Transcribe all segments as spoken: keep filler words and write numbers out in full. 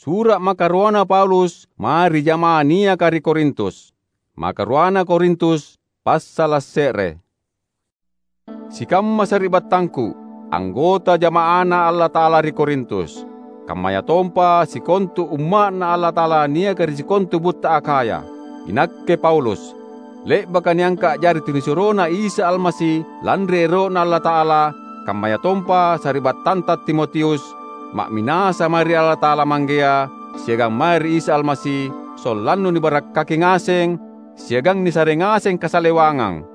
Sura’ makaruana Paulus mae ri jama'ah niaka ri Korintus. Makaruana Korintus, passala’ se're. Sikamma sari'battangku, anggota jama'aNa Allata'ala ri Korintus, kammayatompa sikontu umma'Na Allata'ala niaka ri sikontu butta Akhaya. Inakke Paulus, le'baka niangka’ a'jari tunisuroNa Isa Almasi lanri ero'Na Allata'ala, kammayatompa sari'battanta Timotius, ma'minasa mae ri Allata'ala Manggea siagang mae ri Isa Almasi, sollannu nibarakkaki ngaseng siagang nisare ngaseng kasalewangang.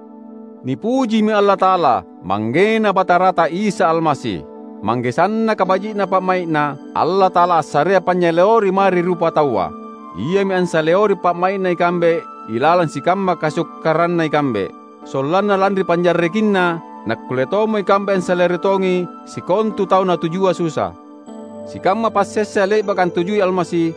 Nipujimi Allata'ala, ManggeNa Batarata Isa Almasi. Mangge sannaka baji'na pa'mai'Na, Allata'ala assarea panynyaleori mae ri rupataua. Iami ansaleori pa'mai'Na ikambe ilalang sikamma kasukkaranna ikambe. Sollanna lanri panjarrekinna, nakkulle tommo ikambe ansaleori tongi sikontu tau natujua susa. Sikamma passessa le'baka antujui Almasi,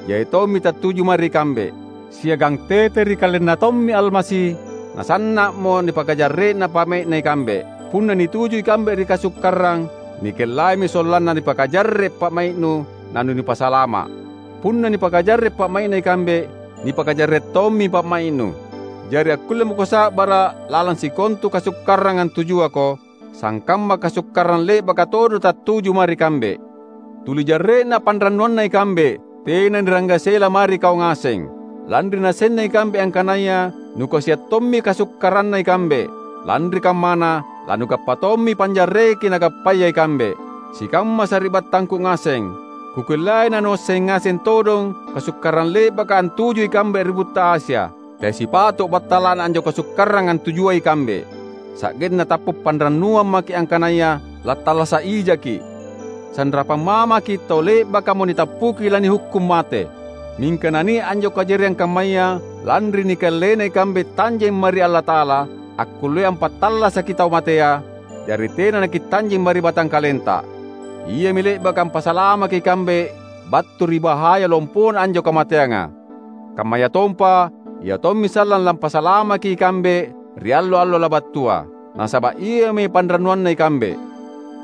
jai tommi tattuju mae ri ikambe. Siagang tete ri KalenNa tommi Almasi, nasanna'mo nipakajarre'na pa'mai'Na ikambe. Punna nituju ikambe ri kasukkarang, nikellaimi sollanna nipakajarre’ pa'mai'nu nanunipasalama’. Punna nipakajarre’ pa'mai'Na ikambe, nipakajarre’ tommi pa'mai'nu. Jari akkulle mako sa'bara’ lalang sikontu kasukkarang antujuako, sangkamma kasukkarang le'baka todong tattuju mae ri kambe. Tuli jarre'na panrannuanna ikambe tena niranggasela mae ri kau ngaseng, lanri nasenna ikambe angkanaya nukasiang tommi kasukkaranna ikambe. Lanri kammana, lanugappa tommi panjarreki nagappaya ikambe. Sikamma sari'battangku ngaseng, kukullei nanuasseng ngaseng todong kasukkarang le'baka antuju ikambe ri butta Asia. Teai sipato’ battala'na anjo kasukkarang antujuai ikambe, sa'genna tappa’ panrannuang maki’ angkanaya lattallasa’ ijaki’. Sanrapang mamaki’ tau le'bakamo nitappuki lanihukkung mate. Mingka nania’ anjo kajariang kammaya lanri nikallena ikambe tanjeng mae ri Allata'ala, akkullea ampattallasaki tau matea, jari tena nakitanjeng mae ri batangkalenta. Iami le'baka ampasalamaki ikambe battu ri bahaya lompona anjo kamateanga. Kammayatompa, ia tommi sallang lampasalamaki ikambe ri allo-allo labattua, nasaba’ iami panrannuanna ikambe.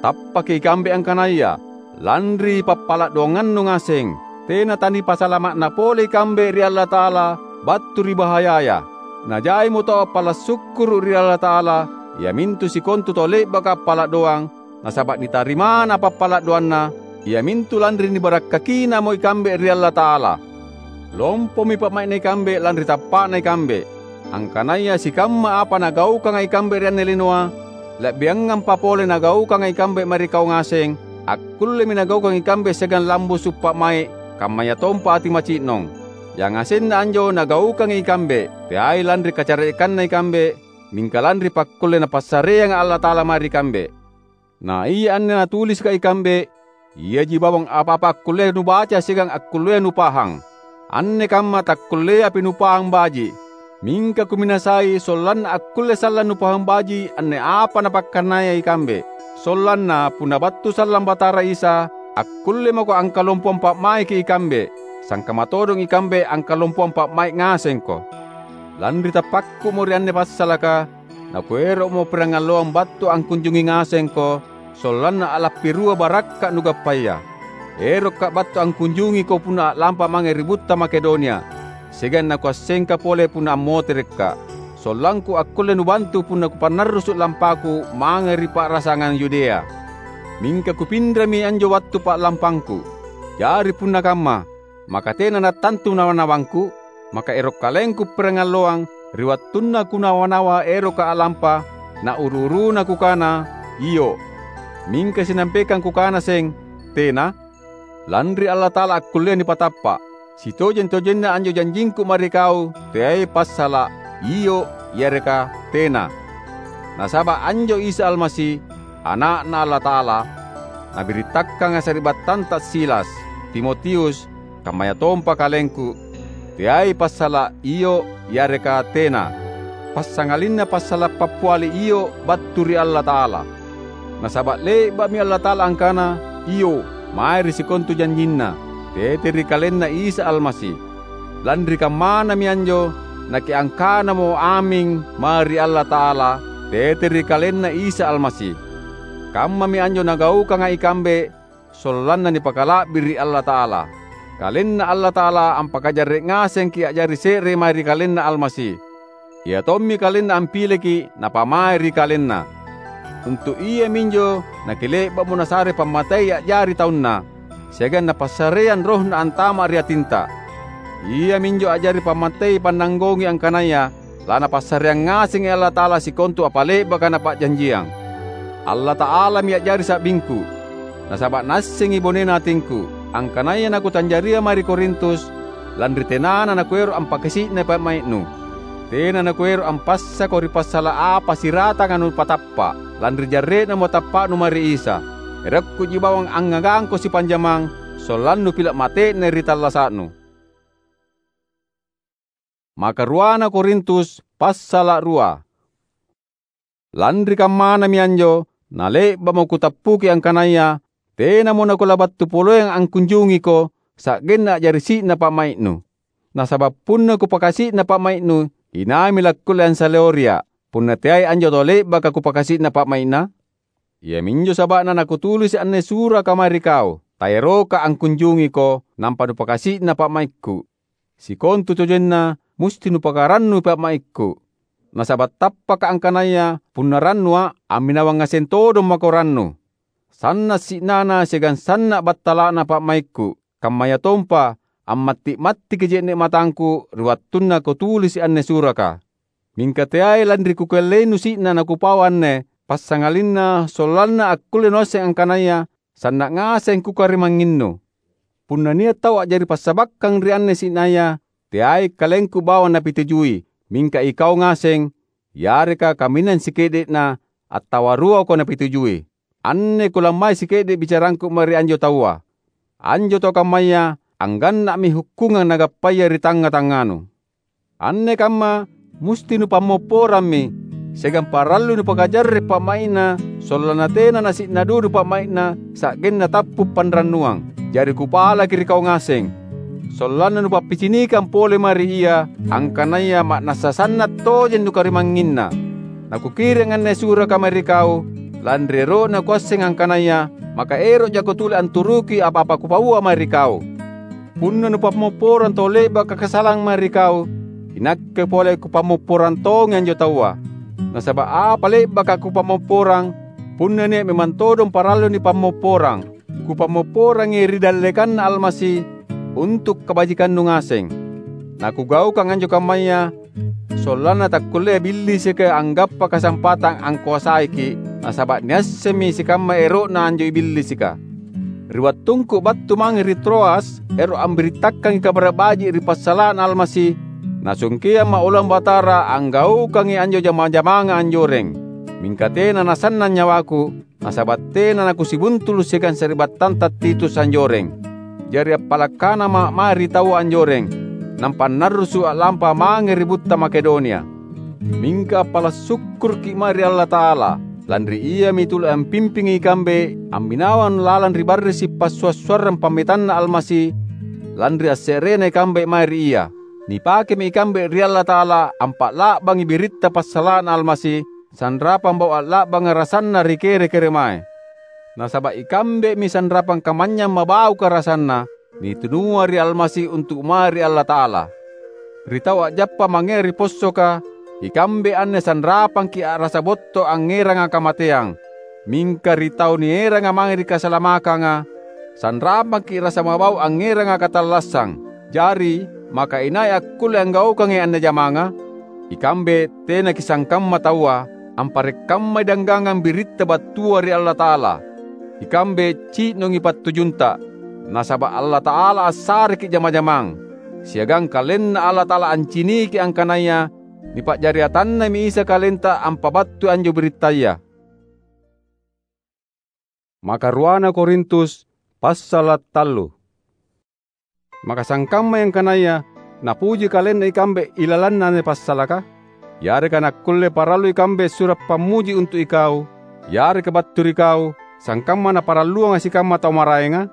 Tappaki ikambe angkanaya, lanri pappala’ doangannu ngaseng, tena tanipasalama'na pole ikambe ri Allata'ala battu ri bahayaya. Najaimo tau appala’ sukkuru’ ri Allata'ala, iamintu sikontu tau le'baka appala’ doang, nasaba’ nitarimana pappala’ doanna, iamintu lanri nibarakkakinamo ikambe ri Allata'ala. Lompomi pa'mai'na ikambe lanri tappa'na ikambe. Angkanaya sikamma apa nagaukanga ikambe ri anne linoa, la'biangampa pole nagaukanga ikambe mae ri kau ngaseng, akkullemi nagaukang ikambe siagang lambusu’ pa'mai’, kammayatompa ati maci'nong. Yangasenna anjo nagaukangi ikambe, teai lanri kacare'kanna ikambe, mingka lanri pakkulle Napassareanga Allata'ala mae ri kambe. Na ia anne natulisika ikambe, iaji bawang apa-apa akkullea nubaca siagang akkullea nupahang. Anne kamma takkulleapi nupahang baji’. Mingka kuminasai sollanna akkulle sallang nupahang baji’ anne apa Napakkannaya ikambe. Sollanna punna battu sallang Batara Isa, akkulle mako angkalompoang pa'maiki ikambe, sangkamma todong ikambe angkalompoang pa'mai’ ngasengko. Lanri tappakku'mo ri anne passalaka, nakuero'mo pirangalloang battu angkunjungi ngasengko, sollanna a'lappirua barakka’ nugappaya. Erokka’ battu angkunjungiko punna a'lampa mange ri butta Makedonia, siagang nakuassengka pole punna ammoterekka’, sollangku akkulle nubantu punna kupannarrusu’ lampaku mange ri pa'rasangang Yudea. Mingka kupinremi anjo wattu pa'lampangku. Jari punna kamma, maka tena nattantu nawa-nawangku? Maka ero’ kalengku pirangalloang ri wattunna kunawa-nawa eroka a'lampa, na uru-uruna kukana, "Iyo." Mingka sinampekang kukana seng, "Tena." Lanri Allata'ala akkullea nipatappa’. Sitojeng-tojenna anjo janjingku mae ri kau teai passala’ "Iyo" yareka "Tena." Nasaba’ anjo Isa Almasi, Ana'Na Allata'ala, Nabirittakkanga sari'battanta Silas, Timotius, kammayatompa kalengku, teai passala’ "Iyo" yareka "Tena." Passangalinna passala’ pappiali "Iyo" battu ri Allata'ala. Nasaba’ le'ba'mi Allata'ala angkana "Iyo" mae ri sikontu janjinNa, tete ri KalenNa Isa Almasi. Lanri kammanami anjo, nakiangkanamo "Aming" mae ri Allata'ala, tete ri KalenNa Isa Almasi. Kammami anjo nagaukanga ikambe sollanna nipakala'biri’ Allata'ala. KalenNa Allata'ala ampakajarre’ ngasengki’ a'jari se're mae ri KalenNa Almasi. Ia tommi KalenNa ampileki’ Napamae ri KalenNa. Untu’ iaminjo nakile'ba'mo Nasare pammatei a'jari taunNa, siagang Napassareang RohNa antama’ ri atinta. Iaminjo a'jari pammatei pannanggongi angkanaya laNapassareang ngasengi Allata'ala sikontu apa le'baka Napa'janjiang. Allata'alami a'jari sa'bingku, nasaba’ Naassengi bonena atingku, angkanaya nakutanjaria mae ri Korintus, lanri tenana nakuero’ ampakasi'nai pa'mai'nu. Tena nakuero’ ampassako ri passala’ apa siratanga nupatappa’, lanri jarre'namo tappa'nu mae ri Isa. Erokkuji bawang angngagangko sipanjamang, sollannu pila’ mate'nai ri tallasa'nu. Makaruana Korintus, passala’ rua. Lanri kammanami anjo, nale'ba'mo kutappuki angkanaya tenamo nakulabattu poleang angkunjungiko, sa'genna a'jari si'na pa'mai'nu. Nasaba’ punna kupakasi'na pa'mai'nu, inaimi lakkulle ansaleoria’, punna teai anjo tau le'baka kupakasi'na pa'mai'na? Iaminjo saba'na nakutulisi’ anne suraka mae ri kau, taeroka angkunjungiko, nampa nupakasi'na pa'maikku. Sikontutojenna musti nupakarannui pa'maikku. Nasaba’ tappaka angkanaya punna rannua’, amminawang ngaseng todong mako rannu. Sanna’ si'nana siagang sanna’ battala'na pa'maikku, kammayatompa ammatti’-mattiki je'ne’ matangku ri wattunna kutulisi’ anne suraka. Mingka teai lanri kukalleinu si'na nakupau anne, passangalinna sollanna akkulle nuasseng angkanaya sanna’ ngaseng kukarimangnginnu. Punna nia’ tau a'jari passabakkang ri anne si'naya, teai kalengku bawang napitujui, mingka ikau ngaseng, yareka kaminang sike'de'na, attawa ruako napitujui. Anne kulammai sike'de’ bicarangku mae ri anjo taua. Anjo tau kammaya angganna'mi hukkungang nagappaya ri tangnga-tangnganu. Anne kamma musti nupammopporammi, siagang parallui nupakajarre’ pa'mai'na, sollanna tena nasi'na dudu pa'mai'na sa'genna tappu’ panrannuang. Jari kupalaki ri kau ngaseng, sollanna nupappicinikang pole mae ri ia angkanaya ma'nassa sanna’ tojeng nukarimangnginna. Nakukiring anne suraka mae ri kau, lanri ero'na kuasseng angkanaya maka ero’ jako tuli anturuki apa-apa kupaua mae ri kau. Punna nupammopporang tau le'baka kasalang mae ri kau, inakke pole kupammopporang tongi anjo taua. Nasaba’ apa le'baka kupammopporang, punna nia’ memang todong parallu nipammopporang. Kupammopporangi ri dallekanNa Almasi untu’ kabajikannu ngaseng. Nakugaukang anjo kammaya sollanna takkullea Billisika anggappa kasampatang angkoasaiki’, nasaba’ niassemmi sikamma ero'na anjo Billisika. Ri wattungku battu mange ri Troas, ero’ ambirittakangi Kabara’ Baji’ ri passala'na Almasi, nasungkeang Ma'ulang Batara anggaukangi anjo jama-jamanga anjoreng. Mingka tena nasannang nyawaku, nasaba’ tena nakusibuntulu’ siagang sari'battanta Titus anjoreng. Jari appala’ kanama’ mae ri taua anjoreng, nampa annarrusu’ a'lampa mange ri butta Makedonia. Mingka appala’ sukkuruki’ mae ri Allata'ala, lanri Iami tuli ampimpingi ikambe amminawang lalang ri barrisi’ passua’-suarrang pammetanNa Almasi, lanri asse'rena ikambe mae ri Ia. Nipakemi ikambe ri Allata'ala ampa'la'bangi biritta passala'na Almasi, sanrapang bau a'la'banga rasanna ri kere-keremae. Nasaba’ ikambemi sanrapang kamanynyang mabauka rasanna, nitunua ri Almasi untu’ mae ri Allata'ala. Ri tau a'jappa mangea ri possoka, ikambe anne sanrapangki’ a'rasa botto angngeranga kamateang. Mingka ri tau nieranga mange ri kasalamakanga, sanrapangki’ rasa mabau angngeranga katallassang. Jari, maka inai akkulle anggaukangi anne jamanga? Ikambe tenaki’ sangkamma taua, amparekkammai danggangang biritta battua ri Allata'ala. Ikambe ci'nongi pattujunta, nasaba’ Allata'ala assareki’ jama-jamang, siagang KalenNa Allata'ala anciniki angkanaya nipa'jari atanNami Isa kalenta ampabattui anjo birittaya. Makaruana Korintus, passala’ tallu. Maka sangkammai angkanaya napuji kalenna ikambe ilalanna anne passalaka? Yareka nakkulle parallu ikambe sura’ pammuji untu’ ikau, yareka battu ri kau, sangkamma naparalluanga sikamma tau maraenga?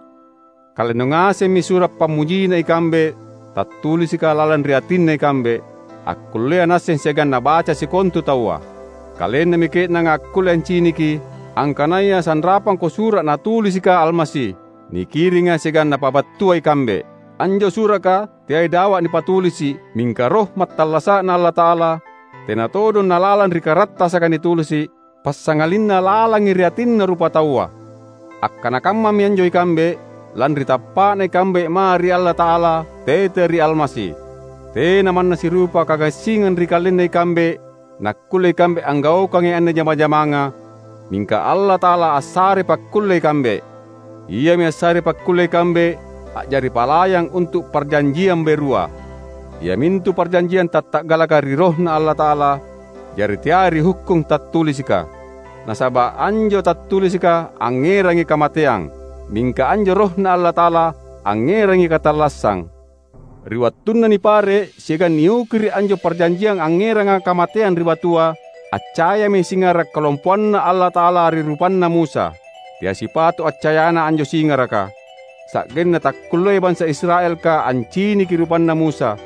Kalennu ngasemmi sura’ pammujina ikambe tattulisika lalang ri atinna ikambe, akkullea naasseng siagang nabaca sikontu taua. Kalennami ke'nanga akkulle anciniki angkanaya sanrapangko sura’ natulisika Almasi, nikiringa siagang napabattua ikambe. Anjo suraka teai dawa nipatulisi’, mingka Roh mattallasa'Na Allata'ala, tena todong nalalang ri karattasaka nitulisi’, passangalinna lalangi ri atinna rupataua. Akkana kammami anjo ikambe, lanri tappa'na ikambe mae ri Allata'ala tete ri Almasi. Tena manna sirupa kagassingang ri kalenna ikambe, nakkulle ikambe anggaukangi anne jama-jamanga, mingka Allata'ala assare pakkulle ikambe. Iami assare pakkulle ikambe a'jari palayang untu’ parjanjiang berua, iamintu parjanjiang tatta'galaka ri RohNa Allata'ala, jari teai ri hukkung tattulisika. Nasaba’ anjo tattulisika angngerangi kamateang, mingka anjo RohNa Allata'ala angngerangi katallassang. Ri wattunna nipare’ siagang niukiri’ anjo parjanjiang angngeranga kamateang ri batua, accayami singara’ kalompoanNa Allata'ala ri rupanna Musa. Teai sipato’ accayana anjo singaraka, sa'genna takkulleai bansa Israelka anciniki rupanna Musa.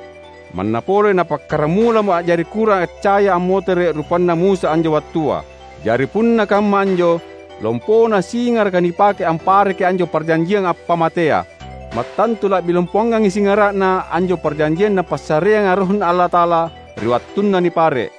Manna pole napakkaramulamo a'jari kurang accaya ammotere’ rupanna Musa anjo wattua. Jari punna kamma anjo, lompona singaraka nipake ampareki anjo parjanjiang appamatea. Mattantu la'bi lompoangangi singara'na anjo parjanjiang Napassareanga RohNa Allata'ala ri wattunna nipare’.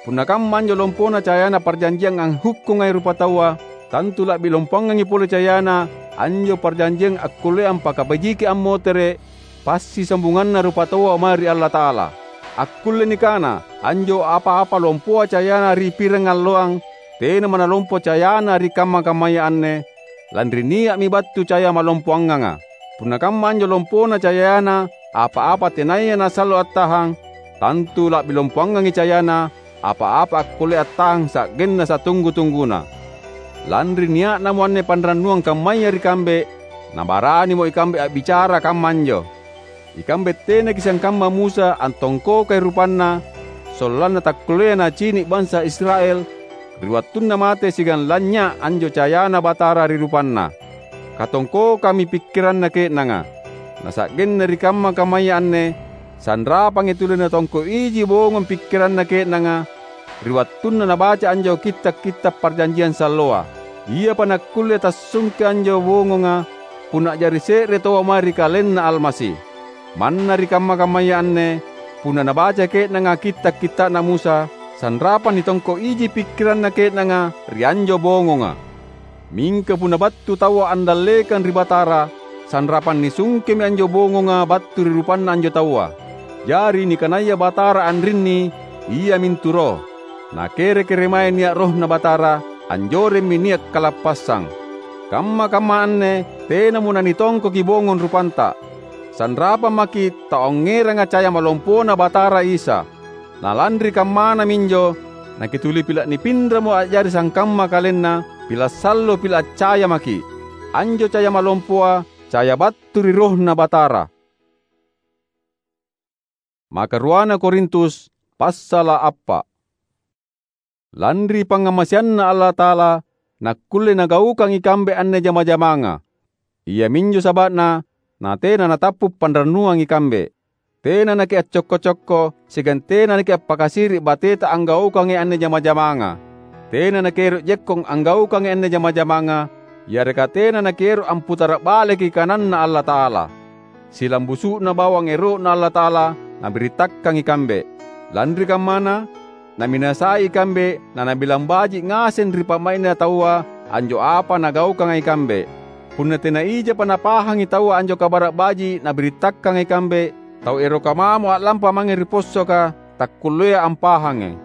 Punna kamma anjo lompona cayana parjanjiang anghukkungai rupataua, tantu la'bi lompoangangi pole cayana anjo parjanjiang akkullea ampakabajiki ammotere’ passisambunganna rupataua mae ri Allata'ala. Akkulle nikana anjo apa-apa lompoa cayana ri pirangalloang, tenamo nalompo cayana ri kamma-kammaya anne, lanri nia'mi battu caya malompoanganga. Punna kamma anjo lompona cayana apa-apa tenaya nasallo attahang, tantu la'bi lompoangangi cayana apa-apa akkullea attahang sa'genna satunggu-tungguna. Lanri nia'namo anne panrannuang kammaya ri kambe, nabaranimo ikambe a'bicara kamma anjo. Ikambe tenaki’ sangkamma Musa antongkokai rupanna, sollanna takkulleai nacini’ bansa Israel ri wattunna mate siagang lanynya’ anjo cayana Batara ri rupanna. Katongkokammi pikkiranna ke'nanga. Nasa'genna ri kamma-kammaya anne, sanrapangi tuli natongko’ iji bongong pikkiranna ke'nanga ri wattunna nabaca anjo kitta’-kitta’ parjanjiang salloa. Iapa nakkulle tassungke anjo bongonga punna a'jari se're taua mae ri KalenNa Almasi. Manna ri kamma-kammaya anne, punna nabaca ke'nanga kitta’-kitta'na Musa, sanrapang nitongko’ iji pikkiranna ke'nanga ri anjo bongonga. Mingka punna battu taua andallekang ri Batara, sanrapang nisungkemi anjo bongonga battu ri rupanna anjo taua. Jari nikanaya Batara anrinni, iamintu Roh. Nakere-kere mae nia’ RohNa Batara, anjoremmi nia’ kalappassang. Kamma-kamma anne tenamo nanitongkoki bongong rupanta. Sanrapang maki’ taongngeranga caya malompona Batara Isa. Na lanri kammana minjo, nakituli pila’ nipinramo a'jari sangkamma KalenNa, pila’ sallo, pila’ accaya maki’. Anjo caya malompoa, caya battu ri RohNa Batara. Makaruana Korintus, passala’ appa’. Lanri pangngamaseanNa Allata'ala, nakkulle Nagaukang ikambe anne jama-jamanga. Iaminjo saba'na natena natappu’ panrannuang ikambe. Tena nakiaccokko-cokko siagang tena nakiappakasiri’ bateta anggaukangi anne jama-jamanga. Tena nakiero’ jekkong anggaukangi anne jama-jamanga, yareka tena nakiero’ amputara’ baleki kananNa Allata'ala. Silambusu'na bawang ero'Na Allata'ala Nabirittakkang ikambe. Lanri kammana, Naminasai ikambe na nabilang baji’ ngaseng ri pa'mai'na taua anjo apa nagaukanga ikambe. Punna tena ijapa napahangi taua anjo Kabara’ Baji’ Nabirittakkanga ikambe, tau eroka mamo a'lampa mange ri possoka takkulleai ampahangi.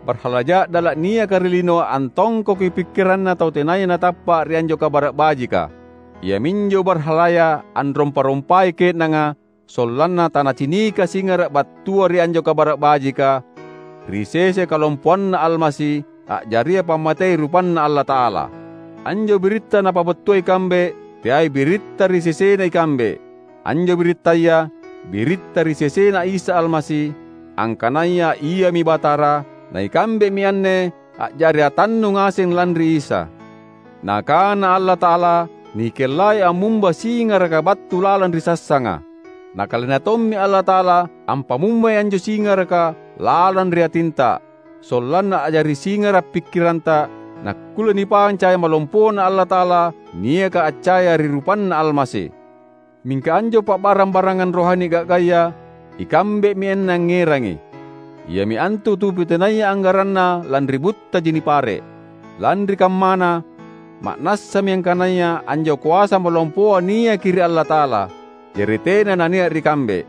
Barhala ja'dala’ niaka ri linoa antongkoki pikkiranna tau tenaya natappa’ ri anjo Kabara’ Bajika. Iaminjo barhalaya anrompa-rompai ke'nanga, sollanna tanacinika singara’ battua ri anjo Kabara’ Bajika, ri sese kalompoanNa Almasi, a'jaria pammatei rupanNa Allata'ala. Anjo biritta napabattua ikambe, teai biritta ri sesena ikambe. Anjo birittaya, biritta ri sesena Isa Almasi, angkanaya Iami Batara, na ikambemi anne a'jari atannu ngaseng lanri Isa. Nakana Allata'ala, "Nikellai ammumba singaraka battu lalang ri sassanga." Nakalena tommi Allata'ala ampamumbai anjo singaraka lalang ri atinta, sollanna a'jari singara’ pikkiranta, nakkulle nipauang caya malompona Allata'ala niaka accaya ri rupanNa Almasi. Mingka anjo pa'barang-barangang rohani ga'gaya, ikambe'mi anne angngerangi. Iami antu tupi tenaya anggaranna lanri buttaji nipare’. Lanri kammana, ma'nassami angkanaya anjo koasa malompoa niaki ri Allata'ala, jari tena nania’ ri kambe.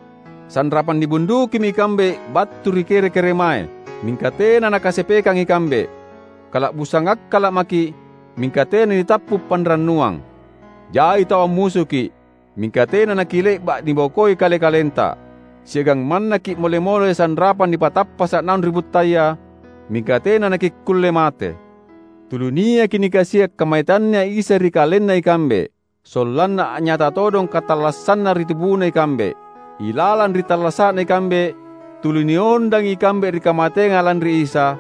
Sanrapang nibundukimi ikambe battu ri kere-keremae, mingka tena nakasepekang ikambe. Kala'busang akkala’ maki’, mingka tena nitappu’ panrannuang. Jai tau ammusuki’, mingka tena nakile'ba’ nibokoi kale-kalenta. Siagang mannaki’ mole-mole sanrapang nipatappasa’ naung ri buttaya, mingka tena nakikkulle mate. Tuli niaki nikasia’ kamaitanNa Isa ri kalenna ikambe, sollanna a'nyata todong katallassanna ri tubuna ikambe. Ilalang ri tallasa'na ikambe, tuli niondangi ikambe ri kamateanga lanri Isa,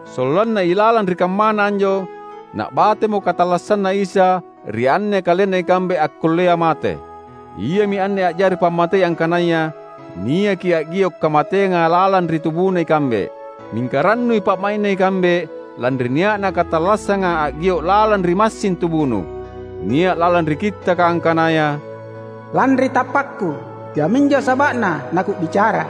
sollanna ilalang ri kammana anjo, na'batemo katallassanna Isa ri anne kalenna ikambe akkullea mate. Iami anne a'jari pammatei angkanaya niaki a'gio’ kamateanga lalang ri tubuna ikambe. Mingka rannui pa'mai'na ikambe lanri nia'na katallassanga a'gio’ lalang ri massing tubunu. Nia’ lalang ri Kittaka angkanaya, "Lanri tappakku, iaminjo saba'na naku'bicara."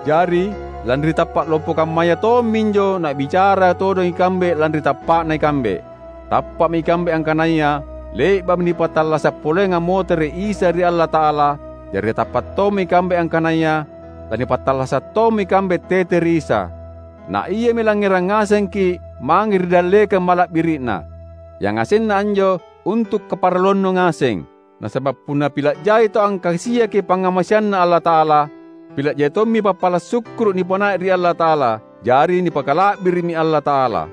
Jari, lanri tappa’ lompo kammaya tomminjo na'bicara todong ikambe lanri tappa'na ikambe. Tappa'mi ikambe angkanaya le'ba'mi nipattallasa’ poleang ammotere’ Isa ri Allata'ala, jari tappa’ tommi ikambe angkanaya lanipattallasa’ tommi ikambe tete ri Isa. Na Iami langngerang ngasengki’ mange ri dallekang mala'biri'Na. Yangasenna anjo untu’ kaparalluannu ngaseng. Nasaba’ punna pila’ jai tau angkasiaki pangngamaseanNa Allata'ala, pila’ jai tommi pappala’ sukkuru’ nipanae ri Allata'ala, jari nipakala'biri'mi Allata'ala.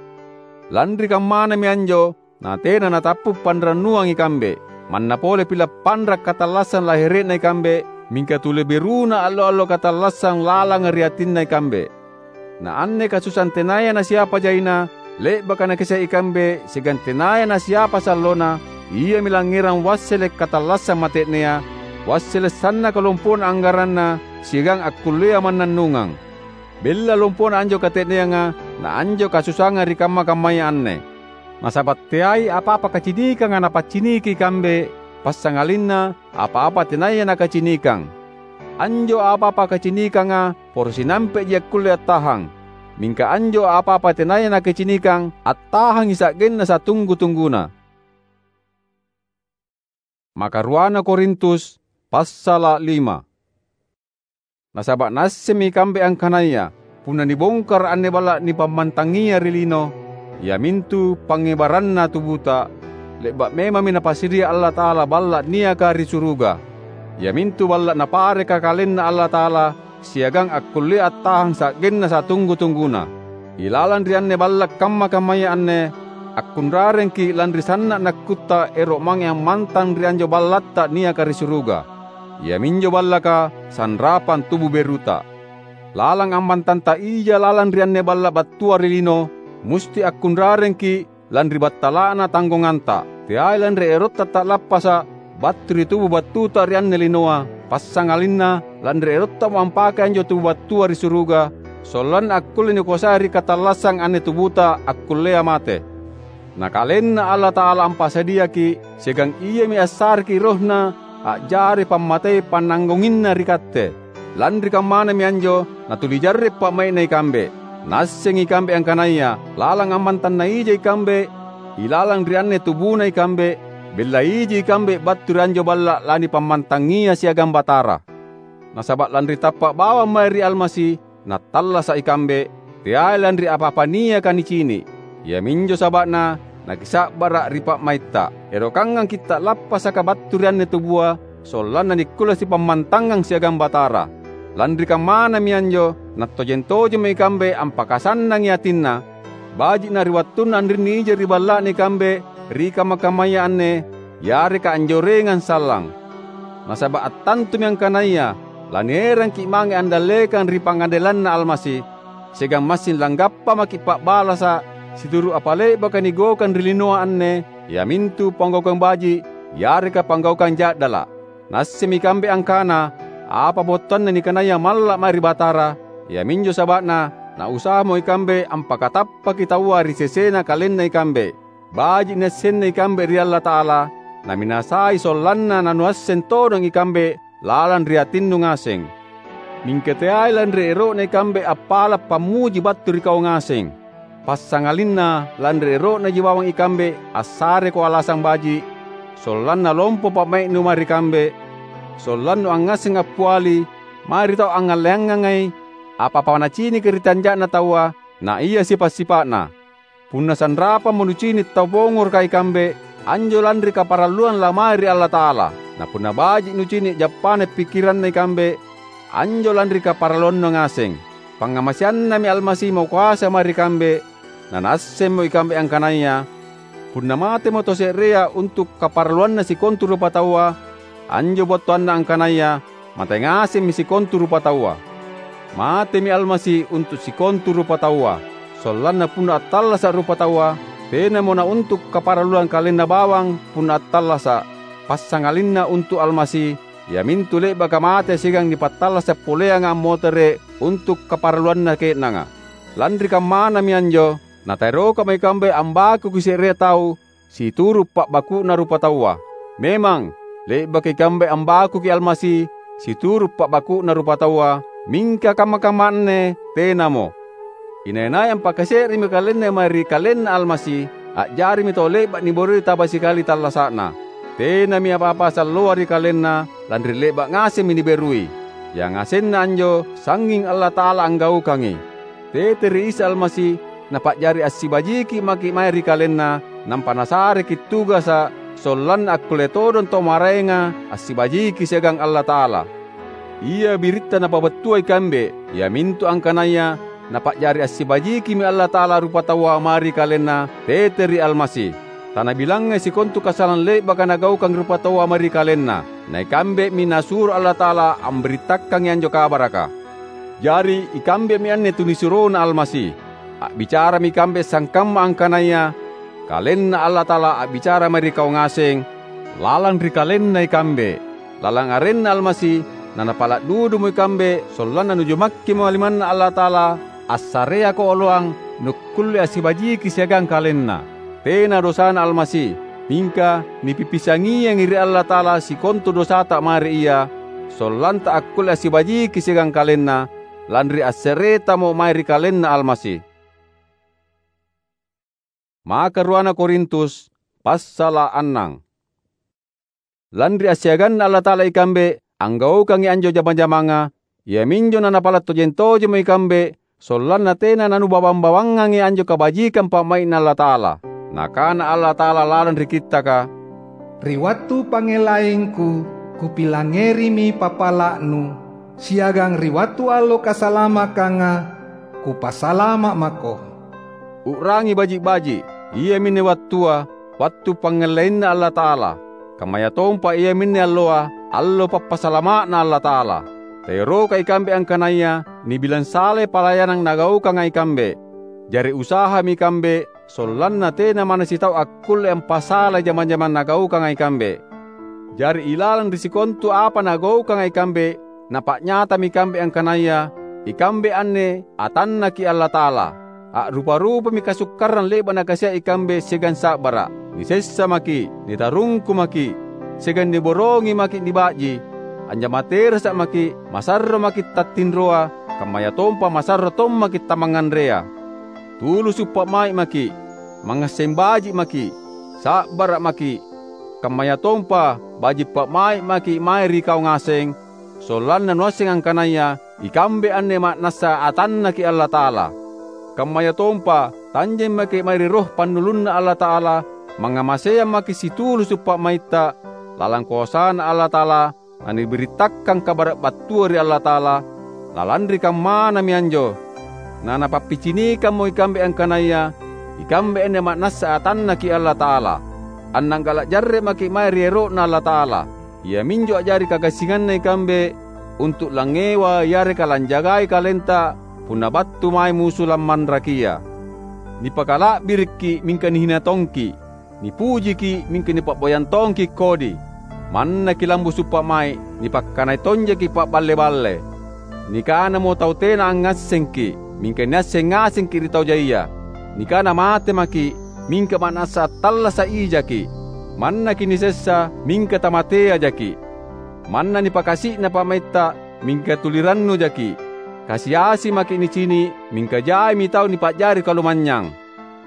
Lanri kammanami anjo, natena natappu’ panrannuang ikambe. Manna pole pila’ panra’ katallassang lahere'na ikambe, mingka tuli beruna allo-allo katallassang lalanga ri atinna ikambe. Na anne kasusaang tenaya nasiapa jaina, le'baka nakisai ikambe siagang tenaya nasiapa sallona, iami langngerang wassele’ katallassang mate'nea, wassele’ sannaka lompona anggaranna siagang akkullea mannannungang. Bella lompona anjo kate'neanga na anjo kasusaanga ri kamma-kammaya anne. Nasaba’ teai apa-apa kacinikanga napacciniki ikambe, passangalinna apa-apa tenaya nakacinikang. Anjo apa-apa kacinikanga poro sinampe'ji akkulle attahang. Mingka anjo apa-apa tenaya nakacinikang, attahangi sa'genna satunggu-tungguna. Makaruana Korintus, passala’ lima. Nasaba’ naassemmi ikambe angkanaya punna nibongkara’ anne balla’ nipammantangia ri lino, iamintu pangngebaranna tubuta, le'ba’ memammi Napasidia Allata'ala balla’ niaka ri suruga, iamintu balla’ Napareka KalenNa Allata'ala siagang akkullea attahang sa'genna satunggu-tungguna. Ilalang ri anne balla’ kamma-kammaya anne, akkunrarengki’ lanri sanna’ nakkutta ero’ mange ammantang ri anjo ballatta niaka ri suruga. Iaminjo ballaka sanrapang tubu beruta. Lalang ammantanta ija lalang ri anne balla’ battua ri lino, musti akkunrarengki’ lanri battala'na tanggonganta. Teai lanri erotta ta'lappasa’ battu ri tubu battuta ri anne linoa, passangalinna lanri erottamo ampakei anjo tubu battua ri suruga, sollanna akkulle nikoasai ri katallassang anne tubuta akkullea mate. Na KalenNa Allata'ala ampasadiaki’, siagang Iami assareki’ RohNa a'jari pammatei pannanggonginna ri katte. Lanri kammanami anjo natuli jarre’ pa'mai'na ikambe. Naassengi ikambe angkanaya lalang ammantang naija ikambe ilalang ri anne tubuna ikambe, bella iji ikambe battu ri anjo balla’ lanipammantangia siagang Batara. Nasaba’ lanri tappa’ bawang mae ri Almasi, nattallasa’ ikambe, teai lanri apa-apa niaka nicini’. Iaminjo saba'na nakisa'bara’ ri pa'maitta. Erokangangki’ ta'lappasaka battu ri anne tubua, sollanna nikkulle sipammantangang siagang Batara. Lanri kammanami anjo nattojeng-tojemmo ikambe ampakasannangi atinna, baji'na ri wattunna anrinni ija ri balla'na ikambe ri kamma-kammaya anne, yareka anjorengang sallang. Nasaba’ attantumi angkanaya lanierangki’ mange andallekang ri pangadelanNa Almasi, siagang massing langgappa maki’ pa'balasa’ situru’ apa le'baka nigaukang ri linoa anne, iamintu panggaukang baji’ yareka panggaukang ja'dala’. Naassemmi ikambe angkana apa battuanna nikanaya malla’ mae ri Batara, iaminjo saba'na nausahaimo ikambe ampakatappaki taua ri sesena kalenna ikambe. Baji’ niassenna ikambe ri Allata'ala, naminasai sollanna nanuasseng todong ikambe lalang ri atinnu ngaseng. Mingka teai lanri ero'na ikambe appala’ pammuji battu ri kau ngaseng. Passangalinna lanri ero'naji bawang ikambe assareko alasang baji’, sollanna lompo pa'mai'nu mae ri kambe, sollannu angngasseng appiali mae ri tau angngalleangangai apa-apa nacinika ri tanja'na taua, na ia sipa’-sipa'na. Punna sanrapammo nucini’ tau pongoroka ikambe, anjo lanri kaparalluang lamae ri Allata'ala. Na punna baji’ nucini’ jappana pikkiranna ikambe, anjo lanri kaparalluannu ngaseng. Pangngamaseannami Almasi makoasa mae ri kambe, na naassemmo ikambe angkanaya punna matemo tau se'rea untu’ kaparalluanna sikontu rupataua, anjo battuanna angkanaya mate ngasemmi sikontu rupataua. Matemi Almasi untu’ sikontu rupataua, sollanna punna attallasa’ rupataua, tenamo nauntu’ kaparalluang kalenna bawang punna attallasa’, passangalinna untu’ Almasi, iamintu le'baka mate siagang nipattallasa’ poleanga ammotere’ untu’ kaparalluanna ke'nanga. Lanri kammanami anjo, nataerokamo ikambe ambakuki se'rea tau situru’ pa'baku'na rupataua. Memang, le'baka ikambe ambakuki Almasi situru’ pa'baku'na rupataua, mingka kamma-kamma anne tenamo. Inai-nai ampakase'remi kalenna mae ri kalenna Almasi, a'jarimi tau le'ba’ niboroi taba sikali tallasa'na. Tenami apa-apa salloa ri kalenna, lanri le'ba’ ngasemmi niberui. Yangasenna anjo sangnging Allata'ala anggaukangi. Tete ri Isa Almasi Napa'jari assibajiki maki’ mae ri KalenNa, nampa Nasareki’ tugasa’ sollanna akkulle todong tau maraenga assibajiki siagang Allata'ala. Ia biritta Napabattua ikambe, iamintu angkanaya Napa'jari assibajikimi Allata'ala rupataua mae ri KalenNa tete ri Almasi. Tanabilangngai sikontu kasalang le'baka nagaukang rupataua mae ri KalenNa, na ikambemi Nasuro Allata'ala ambirittakangi anjo kabaraka. Jari, ikambemi anne tunisuroNa Almasi. A'bicarami ikambe sangkamma angkanaya KalenNa Allata'ala a'bicara mae ri kau ngaseng, lalang ri KalenNa ikambe. Lalang arenNa Almasi, naNapala’ dudumo ikambe sollanna nujumakkimo limanNa Allata'ala, assareako oloang nukkulle assibajiki siagang KalenNa. Tena dosana Almasi, mingka nipipisangiangi ri Allata'ala sikontu dosata mae ri Ia, sollanta akkulle assibajiki siagang KalenNa, lanri asseretamo mae ri KalenNa Almasi. Maka ruana Korintus, passala’ annang. Lanri assiaganNa Allata'ala ikambe anggaukangi anjo jama-jamanga, iaminjo naNapala’ tojeng-tojemmo ikambe sollanna tena nanubawang-bawangangi anjo kabajikang pa'mai'Na Allata'ala. Nakana Allata'ala lalang ri Kittaka, "Ri wattu pangngelaingKu, Kupilangngerimi papala'nu, siagang ri wattu allo kasalamakanga, Kupasalama’ mako." U'rangi baji’-baji’, iaminne wattua, wattu pangngellainNa Allata'ala, kammayatompa iaminne alloa, allo pappasalama'Na Allata'ala. Taeroka ikambe angkanaya nibilang salai palayanang nagaukanga ikambe. Jari usahami ikambe sollanna tena manna sitau akkulle ampasalai jama-jamang nagaukanga ikambe. Jari ilalang ri sikontu apa nagaukanga ikambe, napa'nyatami ikambe angkanaya ikambe anne atanNaki Allata'ala. A'rupa-rupami kasukkarang le'ba’ nakasia’ ikambe siagang sa'bara’. Nisessa maki’, nitarungku maki’, siagang niborongi maki’ niba'ji. Anjama terasa’ maki’, masarro maki’ tattinroa, kammayatompa masarro tommaki’ tamangnganrea. Tulusu’ pa'mai’ maki’, mangngasseng baji’ maki’, sa'bara’ maki’, kammayatompa baji’ pa'mai’ maki’ mae ri kau ngaseng, sollanna nuasseng angkanaya ikambe anne ma'nassa atanNaki Allata'ala. Kammayatompa tanjeng maki’ mae ri Roh pannulunNa Allata'ala, mangngamaseang maki’ situlusu’ pa'maitta, lalang koasaNa Allata'ala, nanibirittakkang kabara’ battua ri Allata'ala, na lanri kammanami anjo, naNapappicinikammo ikambe angkanaya ikambe anne ma'nassa atanNaki Allata'ala. Annanggala’ jarre’ maki’ mae ri ero'Na Allata'ala, iaminjo a'jari kagassinganna ikambe untu’ langngewa yareka lanjagai kalenta punna battu mae musu lammanrakia. Nipakala'birikki’ mingka nihina tongki’. Nipujiki’, mingka nipa'boyang tongki’ kodi. Mannaki lambusu’ pa'mai’, nipakkanai tonjaki’ pa'balle-balle. Nikanamo tau tena angngassengki’, mingka niasseng ngasengki’ ri tau jaia. Nikana mate maki’, mingka ma'nassa attallasa’ ijaki’. Mannaki' nisessa, mingka tamateajaki'. Manna nipakasi'na pa'maitta, mingka tuli rannujaki'. Kasi-asi maki' nicini', mingka jaimi tau nipa'jari kalumanynyang.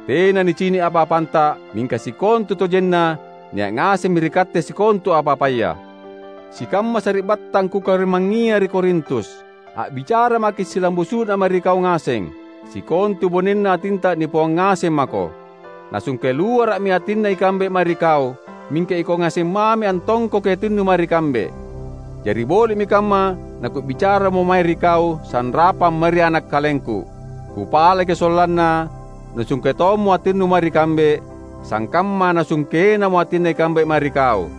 Tena nicini' apa-apanta, mingka sikontutojenna nia' ngasemmi ri katte sikontu apa-apaya. Sikamma sari'battang kukarimangngia ri Korintus, a'bicara maki' silambusu'na mae ri kau ngaseng. Sikontu bonenna atinta nipoang ngaseng mako. Nasungke luara'mi atinna ikambe mae ri kau, mingka ikau ngaseng mami antongkoki atinnu mae ri kambe. Jari boli'mi kamma nakubicaramo mae ri kau sanrapang mae ri ana' kalengku. Kupalaki sollanna nusungke tommo atinnu mae ri kambe, sangkamma nasungkenamo atinna ikambe mae ri kau.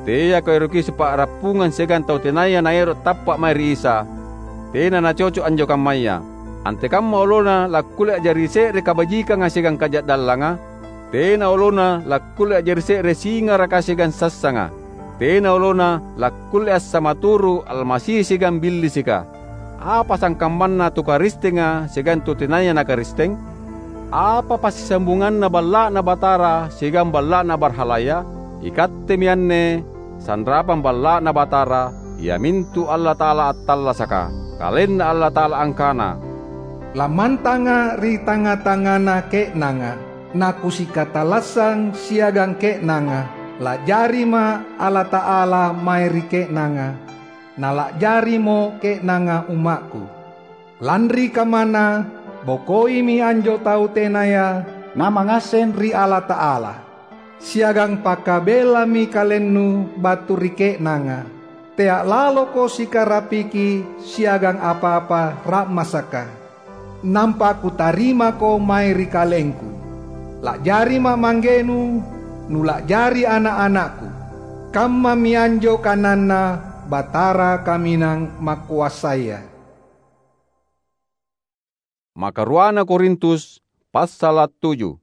Teako eroki sipa'rappungang siagang tau tenaya naero' tappa' mae ri Isa. Tena nacoco' anjo kammaya. Antekamma olona lakkulle a'jari se're kabajikanga siagang kaja'dallanga? Tena olona lakkulle a'jari se're singaraka siagang sassanga. Tena olona lakkulle assamaturu' Almasi siagang Billisika. Apa sangkammanna tu Karistenga siagang tu tenaya na Karisteng? Apa passisambunganna balla'Na Batara siagang balla'na barhalaya? Ikattemi anne, sanrapang balla'Na Batara, iamintu Allata'ala attallasaka. KalenNa Allata'ala angkana, "Lammantanga' ri tangnga-tangngana ke'nanga, naKusikatalassang siagang ke'nanga. La'jariMa' Allata'ala mae ri ke'nanga, na la'jarimo ke'nanga umma'Ku." Lanri kammana, bokoimi anjo tau tenaya namangngasseng ri Allata'ala, siagang pakabellami kalennu battu ri ke'nanga. Tea' laloko sikarapiki siagang apa-apa ra'masaka. Nampa Kutarimako mae ri kalengKu. La'jariMa' manggenu, nula'jari ana'-ana'Ku. Kammami anjo kananNa Batara Kaminang Makoasaya. Makaruana Korintus, passala' tuju.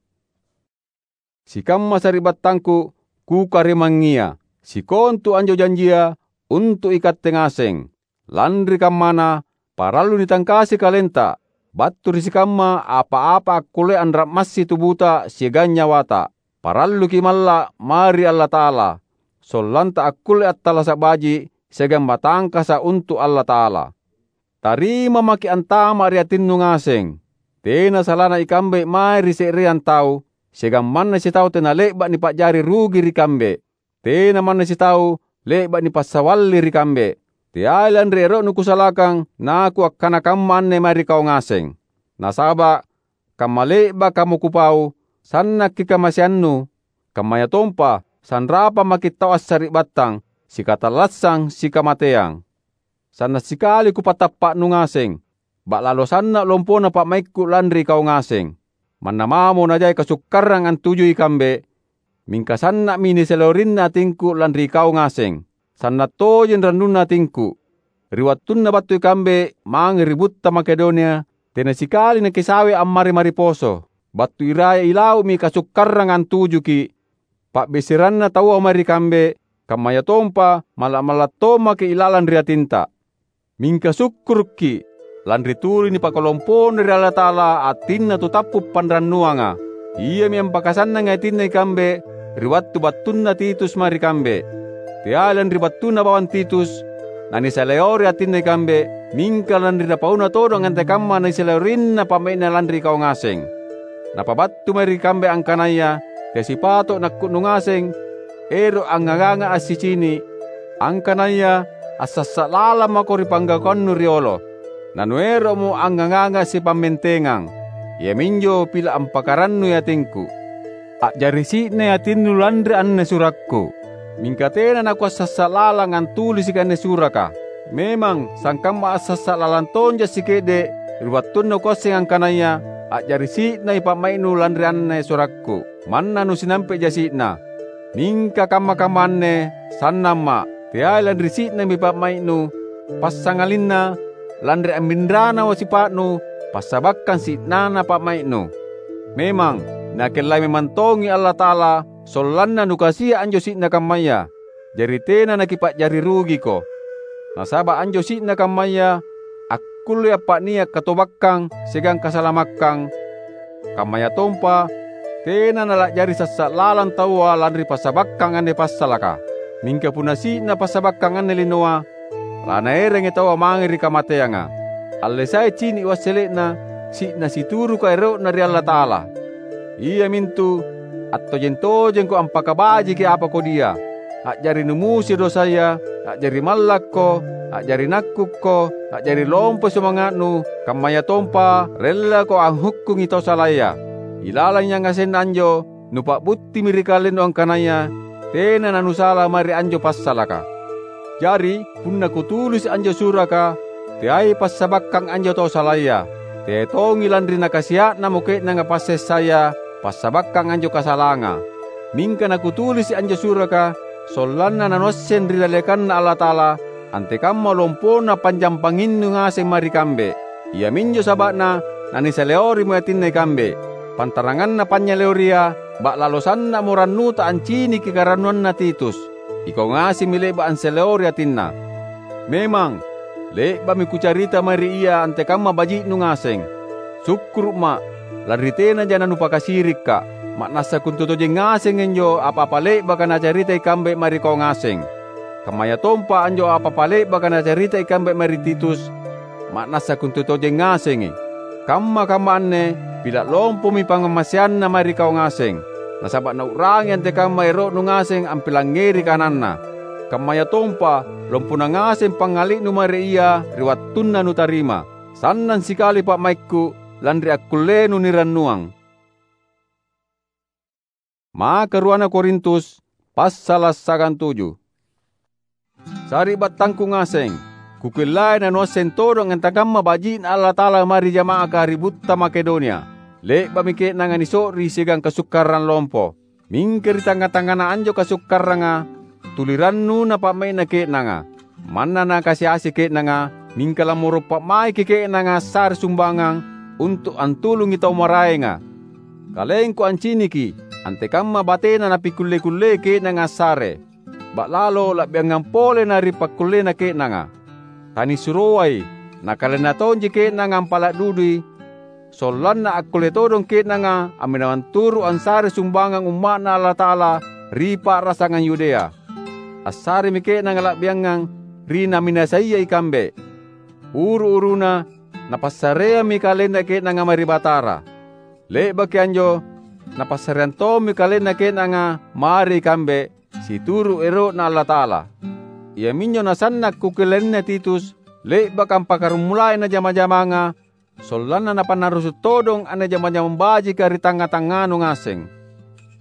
Sikamma sari'battangku, kukarimangngia, sikontu anjo janjia untu' ikatte ngaseng. Lanri kammana, parallu nitangkasi kalenta battu ri sikamma apa-apa akkullea anra'massi tubuta siagang nyawata. Paralluki' malla' mae ri Allata'ala, sollanta akkulle attallasa' baji' siagang matangkasa' untu' Allata'ala. Tarima maki' antama' ri atinnu ngaseng. Tena salana ikambe mae ri se'reang tau, siagang manna sitau tena le'ba' nipa'jari rugi ri kambe. Tena manna sitau le'ba' nipassawalli ri kambe. Teai lanri ero'nu kusalakang nakuakkana kamma anne mae ri kau ngaseng. Nasaba' kamma le'bakamo kupau, sannakki' kamaseannu, kammayatompa sanrapang maki' tau assari'battang, sikatallassang, sikamateang. Sanna' sikali kupatappa'nu ngaseng, ba'lalo sanna' lompona pa'maikku lanri kau ngaseng. Manna mamo najai kasukkarang antujui ikambe, mingka sanna'mi nisalawerinna atingku lanri kau ngaseng. Sanna' tojeng rannunna atingku. Ri wattunna battu ikambe mange ri butta Makedonia, tena sikali nakisawe ammari-mari poso. Battu iraya ilau'mi kasukkarang antujuki', pa'beseranna taua mae ri kambe, kammayatompa malla'-malla' tommaki' ilalang ri atinta. Mingka sukkurukki', lanri tuli nipakalompona ri Allata'ala atinna tu tappu' panrannuanga. Iami ampakasannangi atinna ikambe ri wattu battunna Titus mae ri kambe. Teai lanri battuna bawang Titus, nanisalewori atinna ikambe, mingka lanri napauna todong antekamma nisaleworinna pa'mai'na lanri kau ngaseng. Napabattu mae ri kambe angkanaya tea sipato' nakku'nu ngaseng, ero' angngaganga assicini', angkanaya assassa' lalang mako ri panggaukannu riolo. Nanuero'mo angngaganga sipammentengang, iaminjo pila' ampakarannui atingku. A'jari si'nai atinnu lanri anne surakku, mingka tena nakuassassa' lalang antulisiki anne suraka. Memang, sangkamma assassa' lalang tonja' sike'de' ri wattunna kuasseng angkanaya a'jari si'nai pa'mai'nu lanri anne surakku. Manna nusinampe' jasi'na. Mingka kamma-kamma anne sannamma', teai lanri si'nami pa'mai'nu, passangalinna lanri amminranawa sipa'nu passabakkang si'nana pa'mai'nu. Memang, Nakellai memang tongi Allata'ala sollanna nukasia' anjo si'na kammaya. Jari tena nakipa'jari rugiko. Nasaba' anjo si'na kammaya akkullei appa'nia' katobakkang siagang kasalamakkang, kammayatompa Tena nala'jari sassa’ lalang taua lanri passabakkang anne passalaka. Mingka punna si'na passabakkang anne linoa, lanaerangi taua mange ri kamateanga. Allesai cini’ wassele'na, si'na situruka ero'na ri Allata'ala. Iamintu, attojeng-tojengko ampakabajiki apa kodia. A'jari numusi dosaya, a'jari mallakko, a'jari nakkukko, a'jari lompoi sumanga'nu, kammayatompa rellako anghukkungi tau salaya. Ilalang yangasenna anjo, nupa'buttimi ri kalennu angkanaya tena nanusala mae ri anjo passalaka. Jari, punna kutulisi’ anjo suraka, teai passabakkang anjo tau salaya, teai tongi lanri nakasia'namo ke'nanga passessaya passabakkang anjo kasalanga. Mingka nakutulisi’ anjo suraka, sollanna nanuasseng ri dallekanNa Allata'ala antekamma lompona panjampanginnu ngaseng mae ri kambe. Iaminjo saba'na nanisaleorimo atinna ikambe. Pantaranganna panynyaleoria, ba'lalo sanna'mo rannuta anciniki karannuanna Titus. Ikau ngasemmi le'ba’ ansaleori atinna. Memang, le'ba'mi kucarita mae ri ia antekamma baji'nu ngaseng. Sukkuru'ma’, lanri tenaja nanupakasirikka’. Ma'nassa kontutojeng ngaseng anjo apa-apa le'baka nacarita ikambe mae ri kau ngaseng. Kammayatompa anjo apa-apa le'baka nacarita ikambe mae ri Titus, ma'nassa kontutojeng ngasengi. Kamma-kamma anne pila’ lompomi pangngamaseanna mae ri kau ngaseng, nasaba’ nau'rangi antekamma ero'nu ngaseng ampilangngeri kananna. Kammayatompa lompona ngaseng pangngali'nu mae ri ia ri wattunna nutarima. Sannang sikali pa'maikku, lanri akkullenu nirannuang. Maka ruana Korintus, passala’ sagantuju. Sari'battangku ngaseng, kukullai nanuasseng todong antekamma baji'Na Allata'ala mae ri jama'aka ri butta Makedonia. Le'ba'mi ke'nanga niso'ri siagang kasukkarang lompo. Mingka ri tangnga-tangngana anjo kasukkaranga, tuli rannu napa'mai'na ke'nanga. Manna nakasi-asi ke'nanga, mingka lammoro’ pa'maiki ke'nanga assare sumbangang untu’ antulungi tau maraenga. Kalengku anciniki antekamma batena napikulle-kullei ke'nanga assare. Ba'lalo la'biangang pole na ri pakkullena ke'nanga. Tanisuroai, na kalenna tonji ke'nanga ampala’ dudui, sollanna akkulle todong ke'nanga amminawang turu’ ansare sumbangang umma'Na Allata'ala ri pa'rasangang Yudea. Assaremi ke'nanga la'biangang ri naminasaia ikambe. Uru-uruna, napassareammi kalenna ke'nanga mae ri Batara. Le'baki anjo, napassareang tommi kalenna ke'nanga mae ri ikambe, situru’ ero'Na Allata'ala. Iaminjo nasanna’ kukellaina Titus, le'baka ampakkaramulai anne jama-jamanga, sollanna napannarrusu’ todong anne jama-jamang bajika ri tangnga-tangnganu ngaseng.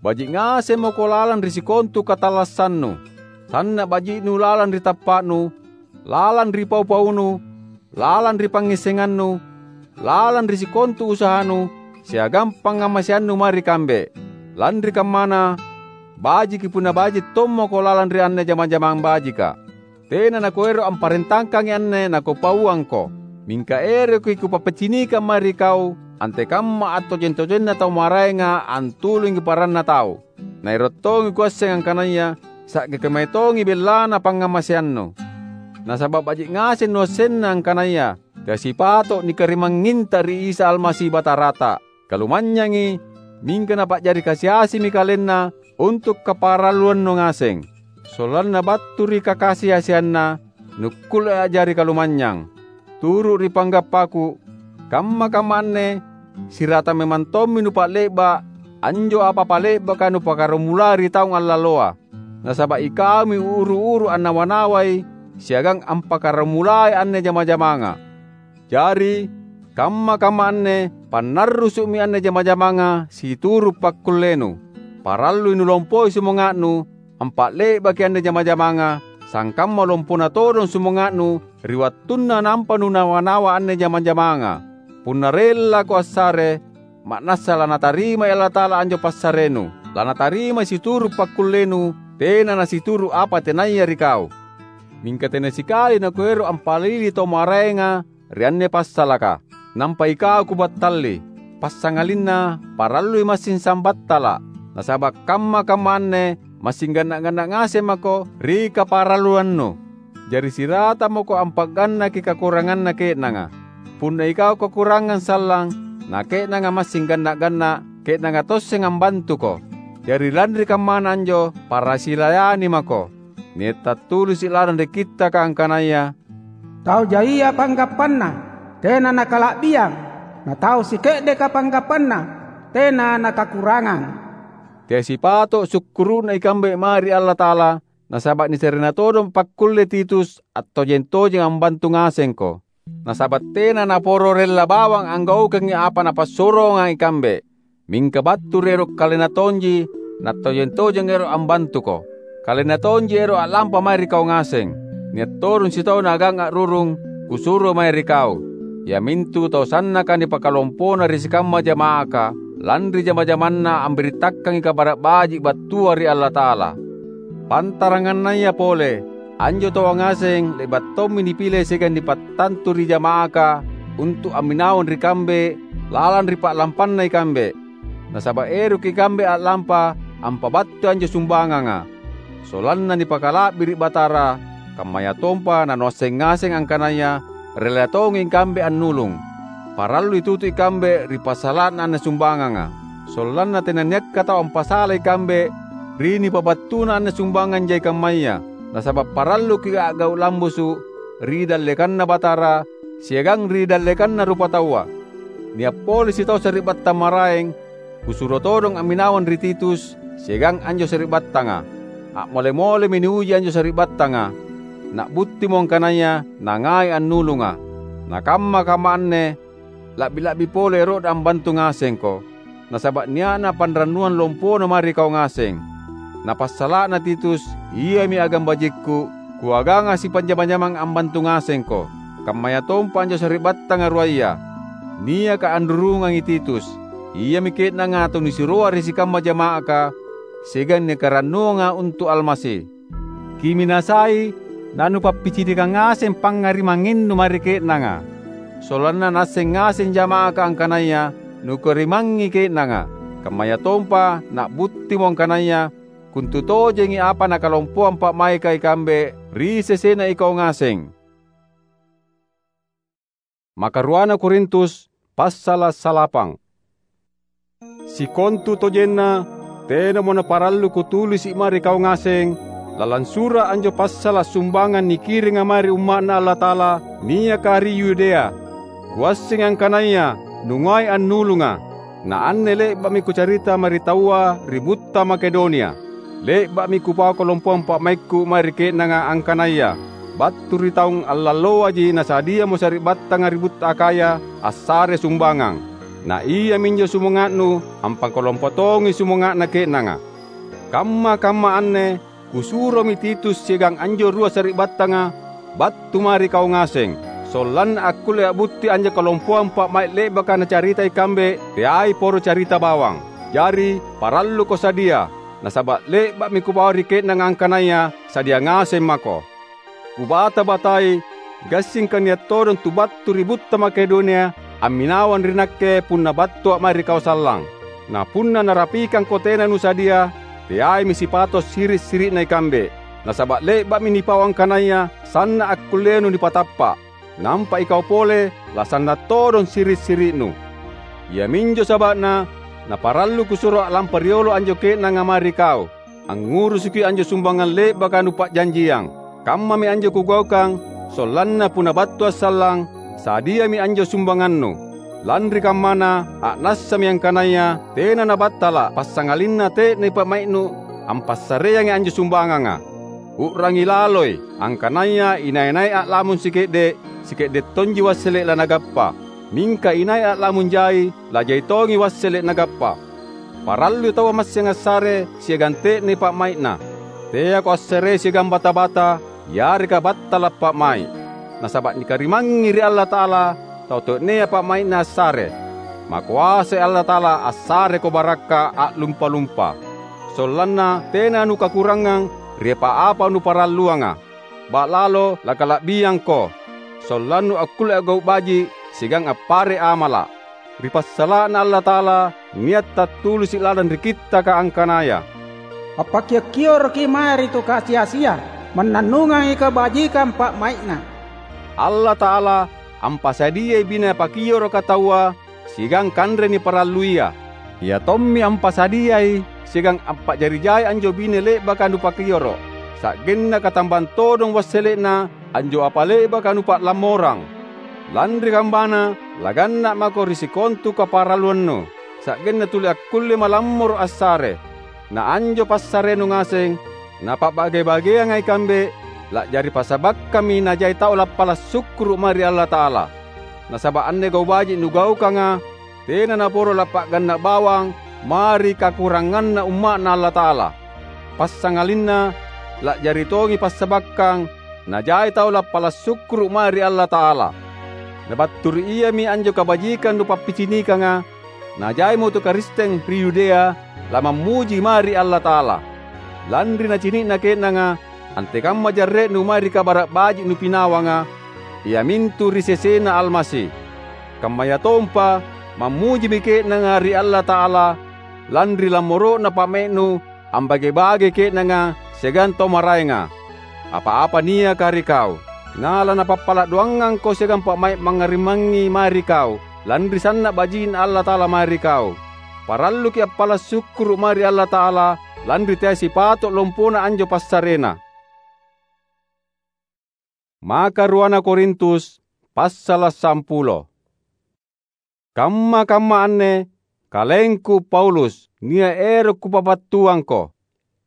Baji’ ngasemmo mako lalang ri sikontu katallassannu. Sanna’ baji'nu lalang ri tappa'nu, lalang ri pau-paunu, lalang ri pangngissengannu, lalang ri sikontu usahanu, siagang pangngamaseannu mae ri kambe. Lanri kammana, bajiki punna baji’ tommako lalang ri anne jama-jamang bajika. Tena nakuero’ amparentangkangi anne nakupauangko, mingka eroki kupappacinikang mae ri kau antekamma attojeng-tojenna tau maraenga antulungi paranna tau. Naero’ tongi kuasseng angkanaya sa'gaki mae tongi bellana pangngamaseannu. Nasaba’ baji’ ngaseng nuassenna angkanaya teasipato’ nikarimangnginta ri Isa Almasi Batarata. Kalumanynyangi, mingka napa'jari kasi-asimi kalenna untu’ kaparalluannu ngaseng. Sollanna battu ri kakasi-asianna, nukkulle a'jari kalumanynyang. Turu’ ri panggappaku, kamma-kamma anne sirata memang tommi nupa'le'ba’ anjo apa-apa le'baka nupakkaramulai ri taung allalloa. Nasaba’ ikaumi uru-uru annawa-nawai siagang ampakkaramulai anne jama-jamanga. Jari, kamma-kamma anne pannarrusu'mi anne jama-jamanga situru’ pakkullenu. Parallui nulompoi sumanga'nu ampa'le'baki anne jama-jamanga, sangkamma lompona todong sumanga'nu ri wattunna nampa nunawa-nawa anne jama-jamanga. Punna rellako assare, ma'nassa lanatarimai Allata'ala anjo passarenu. Lanatarimai situru’ pakkullenu, tena nasituru’ apa tenaya ri kau. Mingka tena sikali nakuero’ ampalili tau maraenga ri anne passalaka, nampa ikau kubattalli. Passangalinna parallui massing sambattala’, nasaba’ kamma-kamma anne massing ganna’-ganna’ ngaseng mako ri kaparalluannu. Jari sirata mako ampa'gannaki kakuranganna ke'nanga. Punna ikau kakurangang sallang, na ke'nanga massing ganna’-ganna’, ke'nanga tosseng ambantuko. Jari lanri kammana anjo parasilayani mako. Nia’ tattulisi’ lalang ri Kittaka angkanaya, "Tau jaia panggappanna, tena nakala'biang; na tau sike'deka panggappanna, tena nakakurangang." Teai sipato’ sukkuru'na ikambe mae ri Allata'ala, nasaba’ niserena todong pakkulle Titus attojeng-tojeng ambantu ngasengko. Nasaba’ tena naporo rella bawang anggaukangi apa napassuroanga ikambe. Mingka battu ri ero’ kalenna tonji, nattojeng-tojeng ero’ ambantuko. Kalenna tonji ero’ a'lampa mae ri kau ngaseng. Nia’ todong sitau naagang a'rurung, kusuro mae ri kau, iamintu tau sannaka nipakalompona ri sikamma jama'aka, lanri jama-jamanna ambirittakangi Kabara’ Baji’ battua ri Allata'ala. Pantarangannaya pole, anjo taua ngaseng le'ba’ tommi nipile siagang nipattantu ri jama'aka untu’ amminawang ri kambe lalang ri pa'lampanna ikambe. Nasaba’ eroki ikambe a'lampa ampabattui anjo sumbanganga, sollanna nipakala'biri’ Batara, kammayatompa nanuasseng ngaseng angkanaya rella tongi ikambe annulung. Parallui tutu ikambe ri passala'na anne sumbanganga, sollanna tenanniakka tau ampasalai ikambe ri nipabattuna anne sumbangang jai kammaya. Nasaba’ paralluki a'gau’ lambusu’ ri dallekanNa Batara siagang ri dallekanna rupataua. Nia’ pole sitau sari'battang maraeng, kusuro todong amminawang ri Titus siagang anjo sari'battanga. A'mole-molemi niuji anjo sari'battanga. Na'buttimo angkanaya nangai annulunga. Na kamma-kamma anne la'bi-la'bi pole ero'na ambantu ngasengko, nasaba’ nia'na panrannuang lompona mae ri kau ngaseng. Na passala'na Titus, iami agang bajikku, kuaganga sipanjama-jamang ambantu ngasengko, kammayatompa anjo sari'battanga ruaya, niaka anrurungangi Titus. Iami ke'nanga tau nisiroa ri sikamma jama'aka, siagang nikarannuanga untu’ Almasi. Kiminasai nanupappicinikangi ngaseng pangngarimangnginnu mae ri ke'nanga, sollanna naasseng ngaseng jama'aka angkanaya nukarimangngi ke'nanga. Kammayatompa na'buttimo angkanaya kontutojengi apa nakalompoang pa'maika ikambe ri sesena ikau ngaseng. Makaruana Korintus, passala’ salapang. Sikontutojenna, tenamo naparallu kutulisi’ mae ri kau ngaseng, lalang sura’ anjo passala’ sumbangang nikiringa mae ri Umma'Na Allata'ala niaka ri Yudea. Kuassengi angkanaya nungai annulunga, na anne le'ba'mi kucarita mae ri taua ri butta Makedonia. Le'ba'mi kupau kalompoang pa'maikku mae ri ke'nanga angkanaya battu ri taung allalloaji nasadiamo sari'battanga ri butta Akhaya assare sumbangang. Na iaminjo sumanga'nu ampangkalompo tongi sumanga'na ke'nanga. Kamma-kamma anne kusuromi Titus siagang anjo rua sari'battanga battu mae ri kau ngaseng, sollanna akkulle a'butti anjo kalompoang pa'mai’ le'baka nacarita ikambe teai poro carita bawang. Jari, paralluko sadia, nasaba’ le'ba'mi kupau ri ke'nanga angkanaya sadia ngaseng mako. Kubata-batai, gassingka nia’ todong tu battu ri butta Makedonia amminawang ri nakke punna battua’ mae ri kau sallang. Na punna narapikangko tena nusadia, teaimi sipato’ siri’-siri'na ikambe, nasaba’ le'ba'mi nipau angkanaya sanna’ akkullenu nipatappa’. Nampa ikau pole lasanna’ todong siri’-siri'nu. Iaminjo saba'na naparallu kusuro a'lampa riolo anjo ke'nanga mae ri kau, angngurusuki anjo sumbangang le'baka nupa'janjiang. Kammami anjo kugaukang, sollanna punna battua’ sallang, sadiami anjo sumbangannu. Lanri kammana, a'nassami angkanaya tena nabattala’ passangalinna te'nei pa'mai'nu ampassareangi anjo sumbanganga. U'rangi laloi, angkanaya inai-nai a'lamung sike'de’, sike'de’ tonji wassele’ lanagappa. Mingka inai a'lamung jai, lajai tongi wassele’ nagappa. Parallui taua massing assare siagang te'nei pa'mai'na. Teako assarei siagang bata-bata, yareka battala’ pa'mai’. Nasaba’ nikarimangngi ri Allata'ala tau to'nea pa'mai'na assare. Makoasai Allata'ala assareko barakka’ a'lumpa-lumpa, sollanna tena nukakurangang ri apa-apa nuparalluanga. Ba'lalo lakala'biangko, sollannu akkulle a'gau’ baji’ siagang appare’ amala’. Ri passala'na Allata'ala nia’ tattulisi’ lalang ri Kittaka angkanaya, "Appakio’-kioroki mae ri tu kasi-asia, mannannungangi kabajikang pa'mai'na." Allata'ala ampasadiai bine pakioroka taua siagang kanre niparalluia. Ia tommi ampasadiai siagang ampa'jari jai anjo bine le'baka nupakioro’, sa'genna katambang todong wassele'na anjo apa le'baka nupa'lammorang. Lanri kammana, laganna’ mako ri sikontu kaparalluannu, sa'genna tuli akkulle malammoro’ assare. Na anjo passarenu ngaseng napa'bage-bageanga ikambe, la'jari passabakkammi najai tau lappala’ sukkuru’ mae ri Allata'ala. Nasaba’ anne gau’ baji’ nugaukanga tena naporo lappa'ganna’ bawang mae ri kakuranganna umma'Na Allata'ala. Passangalinna la'jari tongi passabakkang najai tau lappala’ sukkuru’ mae ri Allata'ala. Na battu ri iami anjo kabajikang nupappicinikanga, najaimo tu Karisteng ri Yudea lamammuji mae ri Allata'ala. Lanri nacini'na ke'nanga antekamma jarre'nu mae ri Kabara’ Baji’ nupinawanga, iamintu ri sesena Almasi. Kammayatompa mammujimi ke'nanga ri Allata'ala lanri lammoro'na pa'mai'nu ambage-bage ke'nanga siagang tau maraenga apa-apa niaka ri kau. Na lanapappala’ doangangko siagang pa'mai’ mangngarimangngi mae ri kau, lanri sanna’ baji'Na Allata'ala mae ri kau. Paralluki’ appala’ sukkuru’ mae ri Allata'ala lanri teai sipato’ lompona anjo passarena. Maka ruana Korintus, passala’ sampulo. Kamma-kamma anne, kalengku Paulus, nia’ ero’ kupabattuangko.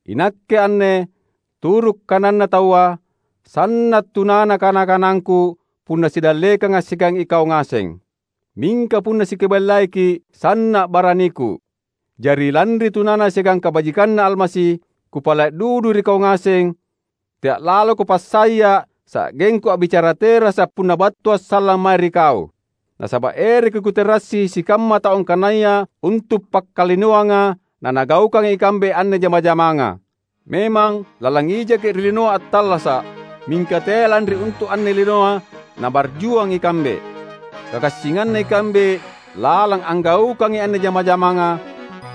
Inakke anne, turu’ kananna taua, sanna’ tunana kana-kanangku punna sidallekanga siagang ikau ngaseng. Mingka punna sikeballaki, sanna’ baraniku. Jari lanri tunana siagang kabajikanNa Almasi, kupala’ dudu ri kau ngaseng, tea’ laloko passaya’ sa'gengku a'bicara terasa’ punna battua’ sallang mae ri kau. Nasaba’ eroki’ kuterassi sikamma tau angkanaya untu’ pakkalinoanga nanagaukanga ikambe anne jama-jamanga. Memang, lalang ijaki’ ri linoa attallasa’, mingka teai lanri untu’ anne linoa nabarjuang ikambe. Kagassinganna ikambe lalang anggaukangi anne jama-jamanga,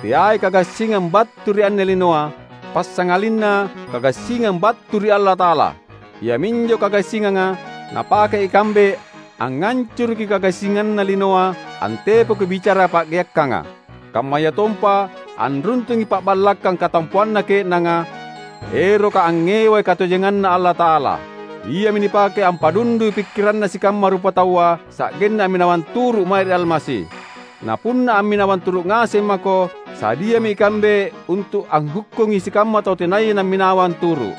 teai kagassingang battu ri anne linoa, passangalinna kagassingang battu ri Allata'ala. Iaminjo kagassinganga napake ikambe angngancuruki kagassinganna linoa antepoki bicara pa'geakkanga. Kammayatompa anruntungi pa'ballakkang katampoanna ke'nanga, eroka angngewai katojenganNa Allata'ala. Iami nipake ampadundui pikkiranna sikamma rupataua sa'genna amminawang turu’ mae ri Almasi. Na punna amminawang turu’ ngaseng mako, sadiami ikambe untu’ anghukkungi sikamma tau tenaya namminawang turu’.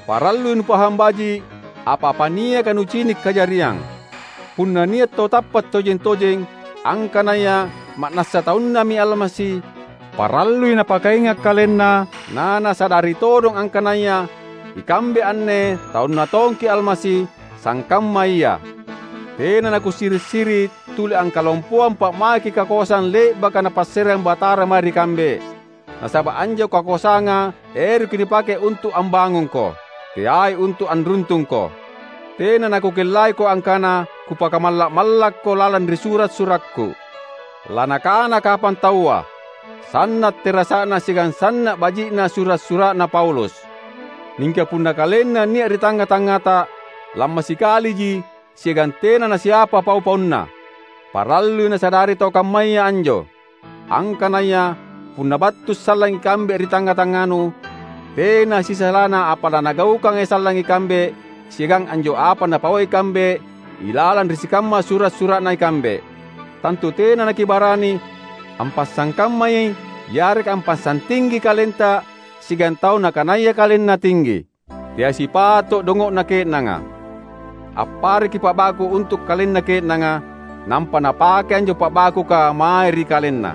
Parallui nupahang baji’ apa-apa niaka nucini’ kajariang. Punna nia’ tau tappa’ tojeng-tojeng angkanaya ma'nassa taunNami Almasi, parallui napakainga’ kalenna, na nasadari todong angkanaya ikambe anne taunNa tongki’ Almasi, sangkamma ia. Tena nakusiri’-siri’ tuli angkalompoang pa'maiki kakoasang le'baka Napassareang Batara mae ri kambe. Nasaba’ anjo kakoasanga eroki nipake untu’ ambangungko, teai untu’ anruntungko. Tena nakukellaiko angkana kupakamalla’-mallakko lalang ri sura’-surakku. Lanakana kapang taua, "Sanna’ terasa'na siagang sanna’ baji'na sura’-sura'na Paulus." Mingka punna kalenna nia’ ri tangnga-tangngata, lammasikaliji siagang tena nasiapa pau-paunna. Parallui nasadari tau kammaya anjo, angkanaya punna battu sallang ikambe ri tangnga-tangnganu, tena sisalana apa lanagaukangai sallang ikambe siagang anjo apa napauai ikambe ilalang ri sikamma sura’-sura'na ikambe. Tantu tena nakibarani ampassangkammai yareka ampassang tinggi kalenta siagang tau nakanaya kalenna tinggi. Teai sipato’ dongo'na ke'nanga. Appareki pa'baku untu’ kalenna ke'nanga, nampa napake anjo pa'bakuka mae ri kalenna.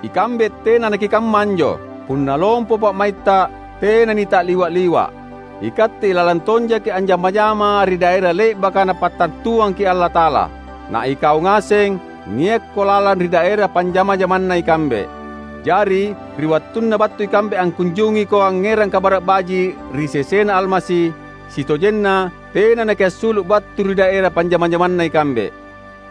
Ikambe tena nakikamma anjo. Punna lompo pa'maitta, tena nita'liwa’-liwa’. Ikatte ilalang tonjaki’ anjama-jama ri daera le'baka Napattantuangki’ Allata'ala. Na ikau ngaseng, niakko lalang ri daera panjama-jamanna ikambe. Jari, ri wattunna battu ikambe angkunjungiko angngerang Kabara’ Baji’ ri sesena Almasi, sitojenna tena nakiassulu’ battu ri daera panjama-jamanna ikambe.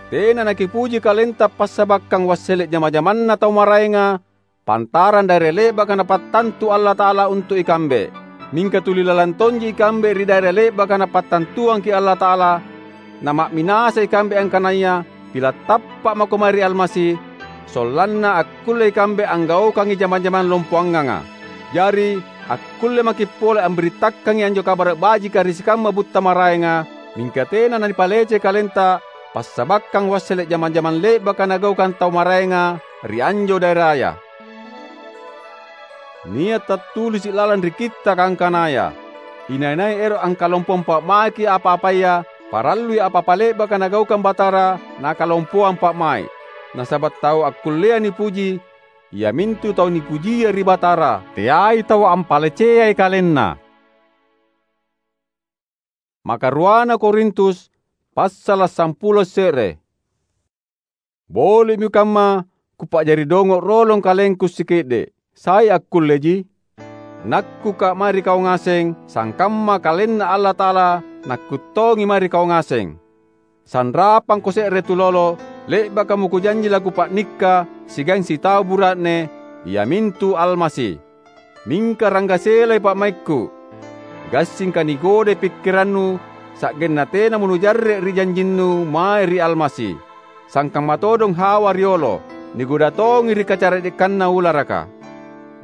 Tena nakipuji kalenta passabakkang wassele’ jama-jamanna tau maraenga, pantarang daera le'baka Napattantu Allata'ala untu’ ikambe. Mingka tuli lalang tonji ikambe ri daera le'baka Napattantuangki’ Allata'ala, nama'minasa ikambe angkanaya pila’ tappa’ mako mae ri Almasi, sollanna akkulle ikambe anggaukangi jama-jamang lompoanganga. Jari, akkulle maki’ pole ambirittakangi anjo Kabara’ Bajika ri sikamma butta maraenga, mingka tena nanipalecei kalenta passabakkang wassele’ jama-jamang le'baka nagaukang tau maraenga ri anjo daeraya. Nia’ tattulisi’ lalang ri Kittaka angkanaya, "Inai-nai ero’ angkalompoang pa'maiki apa-apaya, parallui apa-apa le'baka Nagaukang Batara nakalompoang pa'mai’." Nasaba’ tau akkullea nipuji, iamintu tau nipujia ri Batara, teai tau ampaleceai kalenna. Makaruana Korintus, passala’ sampulo se're. Boli'mi kamma kupa'jari dongo’ rolong kalengku sike'de’, sai akkulleji? Nakkuka’ mae ri kau ngaseng, sangkamma KalenNa Allata'ala nakkuttongi mae ri kau ngaseng. Sanrapangko se're tulolo, le'bakamo kujanji lakupa'nikka siagang sitau bura'ne, iamintu Almasi. Mingka ranggaselai pa'maikku. Gassingka nigodai pikkirannu, sa'genna tenamo nujarre’ ri janjinnu mae ri Almasi. Sangkamma todong Hawa riolo, nigoda tongi ri kacara'dekanna ularaka.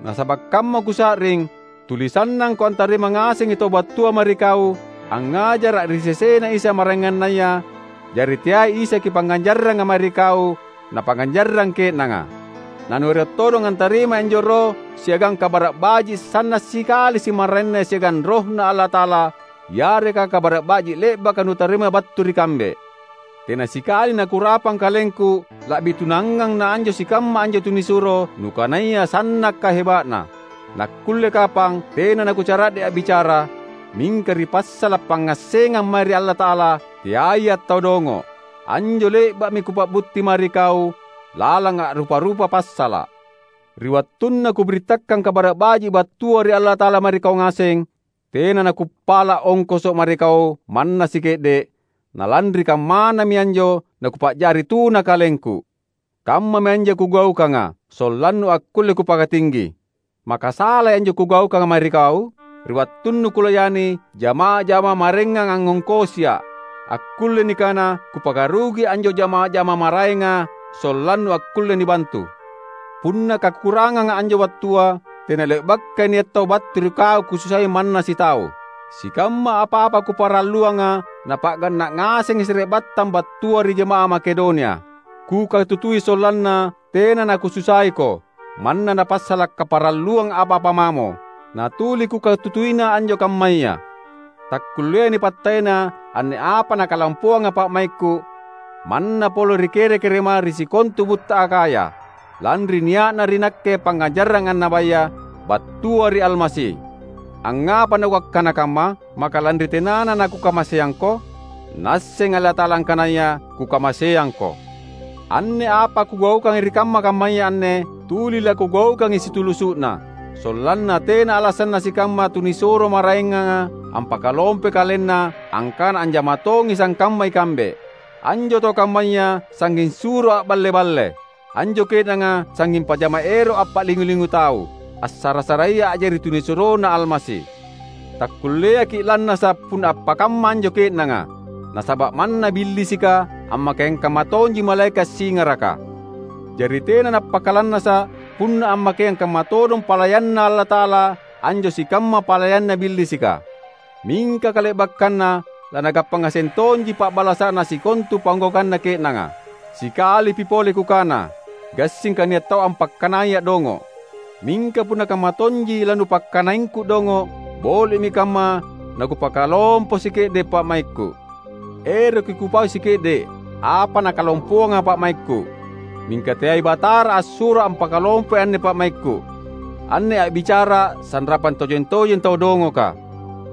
Nasaba’ kamma kusa'ring, tuli sannangko antarima ngasengi tau battua mae ri kau, angngajara’ ri sesena Isa maraengannaya, jari teai Isa kipangnganjarranga mae ri kau, napangnganjarrang ke'nanga. Nanuero’ todong antarimai anjo Roh siagang Kabara’ Baji’ sanna’ sikali simaraenna siagang RohNa Allata'ala, yareka Kabara’ Baji’ le'baka nutarima battu ri kambe. Tena sikali nakurapang kalengku la'bi tunangang na anjo sikamma anjo tunisuro nukanaya sanna’ kaheba'na. Nakkulle kapang tena nakucara'de’ a'bicara, mingka ri passala’ pangngassengang mae ri Allata'ala, teai attau dongo’. Anjo le'ba'mi kupa'butti mae ri kau lalang a'rupa-rupa passala’. Ri wattunna kubirittakang Kabara’ Baji’ battua ri Allata'ala mae ri kau ngaseng, tena nakuppala’ ongkoso’ mae ri kau manna sike'de’, na lanri kammanami anjo nakupa'jari tuna kalengku. Kammami anjo kugaukanga, sollannu akkulle kupakatinggi. Maka salai anjo kugaukanga mae ri kau? Ri wattunnu kulayani jama-jama maraengang angngongkosia’, akkulle nikana kupakarugi anjo jama-jama maraenga sollannu akkulle nibantu. Punna kakuranganga anjo wattua, tena le'bakai nia’ tau battu ri kau kususai manna sitau. Sikamma apa-apa kuparalluanga napa'ganna’ ngasengi sari'battang battua ri jama'ah Makedonia. Kukatutui sollanna tena nakususaiko, manna napassala’ kaparalluang apa-apa mamo. Natuli kukatutuina anjo kammaya. Takkulleai nipattaena anne apa nakalampoanga pa'maikku, manna pole ri kere-kerema ri sikontu butta Akhaya, lanri nia'na ri nakke pangngajarang annabaya battua ri Almasi. Angngapa nakuakkana kamma? Maka lanri tenana nakukamaseangko? Naasseng Allata'ala angkanaya kukamaseangko. Anne apa kugaukangi ri kamma-kammaya anne tuli lakugaukangi situlusu'na, sollanna tena alasanna sikamma tunisuro maraenganga ampakalompoi kalenna angkana anjama tongi sangkamma ikambe. Anjo tau kammaya sangnging suro a'balle-balle. Anjo ke'nanga sangnging pajama ero’ appa'lingu-lingu tau, assara-saraya a'jari tunisuroNa Almasi. Takkulleaki’ lannasa’ punna appakamma anjo ke'nanga, nasaba’ manna Billisika ammakaiang kamma tonji malaeka’ singaraka. Jari tena nappakalannasa’ punna ammakaiang kamma todong palayanNa Allata'ala anjo sikamma palayanna Billisika. Mingka kale'bakkanna lanagappa ngaseng tonji pa'balasa'na sikontu panggaukanna ke'nanga. Sikalipi pole kukana, gassingka nia’ tau ampakkanaya dongo’. Mingka punna kamma tonji lanupakkanaingku dongo’, boli'mi kamma nakupakalompo sike'de’ pa'maikku. Eroki kupau sike'de’ apa nakalompoanga pa'maikku. Mingka teai Batara assuro ampakalompoi anne pa'maikku. Anne a'bicara sanrapang tojeng-tojeng tau dongoka.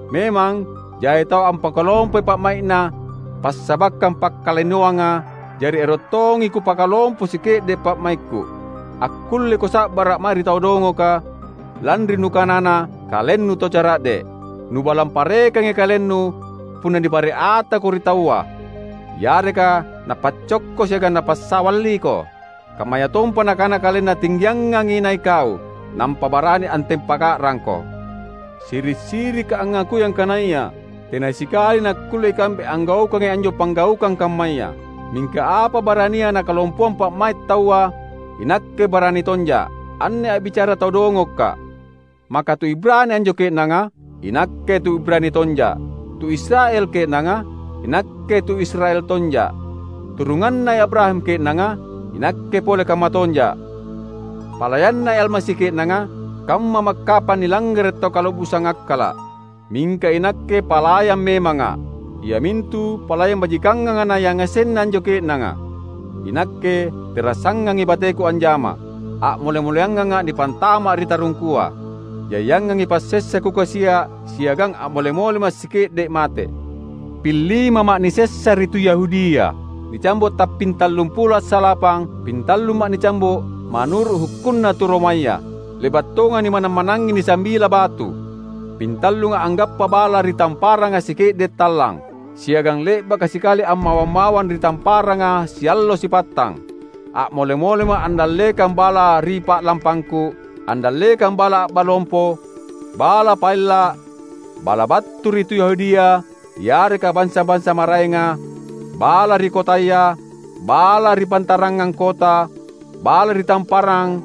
Memang, jai tau ampakalompoi pa'mai'na passabakkang pakkalainoanga, jari ero’ tongi kupakalompo sike'de’ pa'maikku. Akkulleko sa'bara’ mae ri tau dongoka, lanri nukanana kalennu tau cara'de’. Nubalang parekangi kalennu punna nipare’ atako ri taua, yareka napaccokko siagang napassawalliko. Kammayatompa nakana kalenna tinggiangangi nai’ kau, nampa barani antempa ka'rangko. Siri’-sirika angngakui angkanaya tena sikali nakkulle ikambe anggaukangi anjo panggaukang kammaya. Mingka apa barania nakalompoang pa'mai’ taua, inakke barani tonja'. Anne a'bicara tau dongokka'. Maka tu Ibrani anjo ke'nanga? Inakke tu Ibrani tonja'. Tu Israel ke'nanga? Inakke tu Israel tonja'. Turunganna Abraham ke'nanga? Inakke pole kamma tonja'. Palayanna Almasi ke'nanga? Kamma makkapa nilangngere' tau kala'busang akkala'. Mingka inakke palayang memanga', iamintu palayang bajikanganga nayangasenna anjo ke'nanga. Inakke tera' sangangi bateku anjama, a'mole-moleanganga' nipantama' ri tarungkua. Jaiangangi passessa kukasia' siagang a'mole-mole massike'de' mate. Pillimama' nisessa ri tu Yahudia, nicambo' tappintallumpulo assalapang, pintalluma' nicambo' manuru' hukkunna tu Romaya. Le'ba' tonga nimanang-manangi nisambila batu. Pintallunga' anggappa bala ri tamparanga sike'de' tallang, siagang le'baka sikali ammawang-mawang ri tamparanga siallo sipattang. A'mole-molema' andallekang bala ri pa'lampangku, andallekang bala a'balompo, bala paella', bala battu ri tu Yahudia, yareka bansa-bansa maraenga, bala ri kotaya, bala ri pantarangang kota, bala ri tamparang,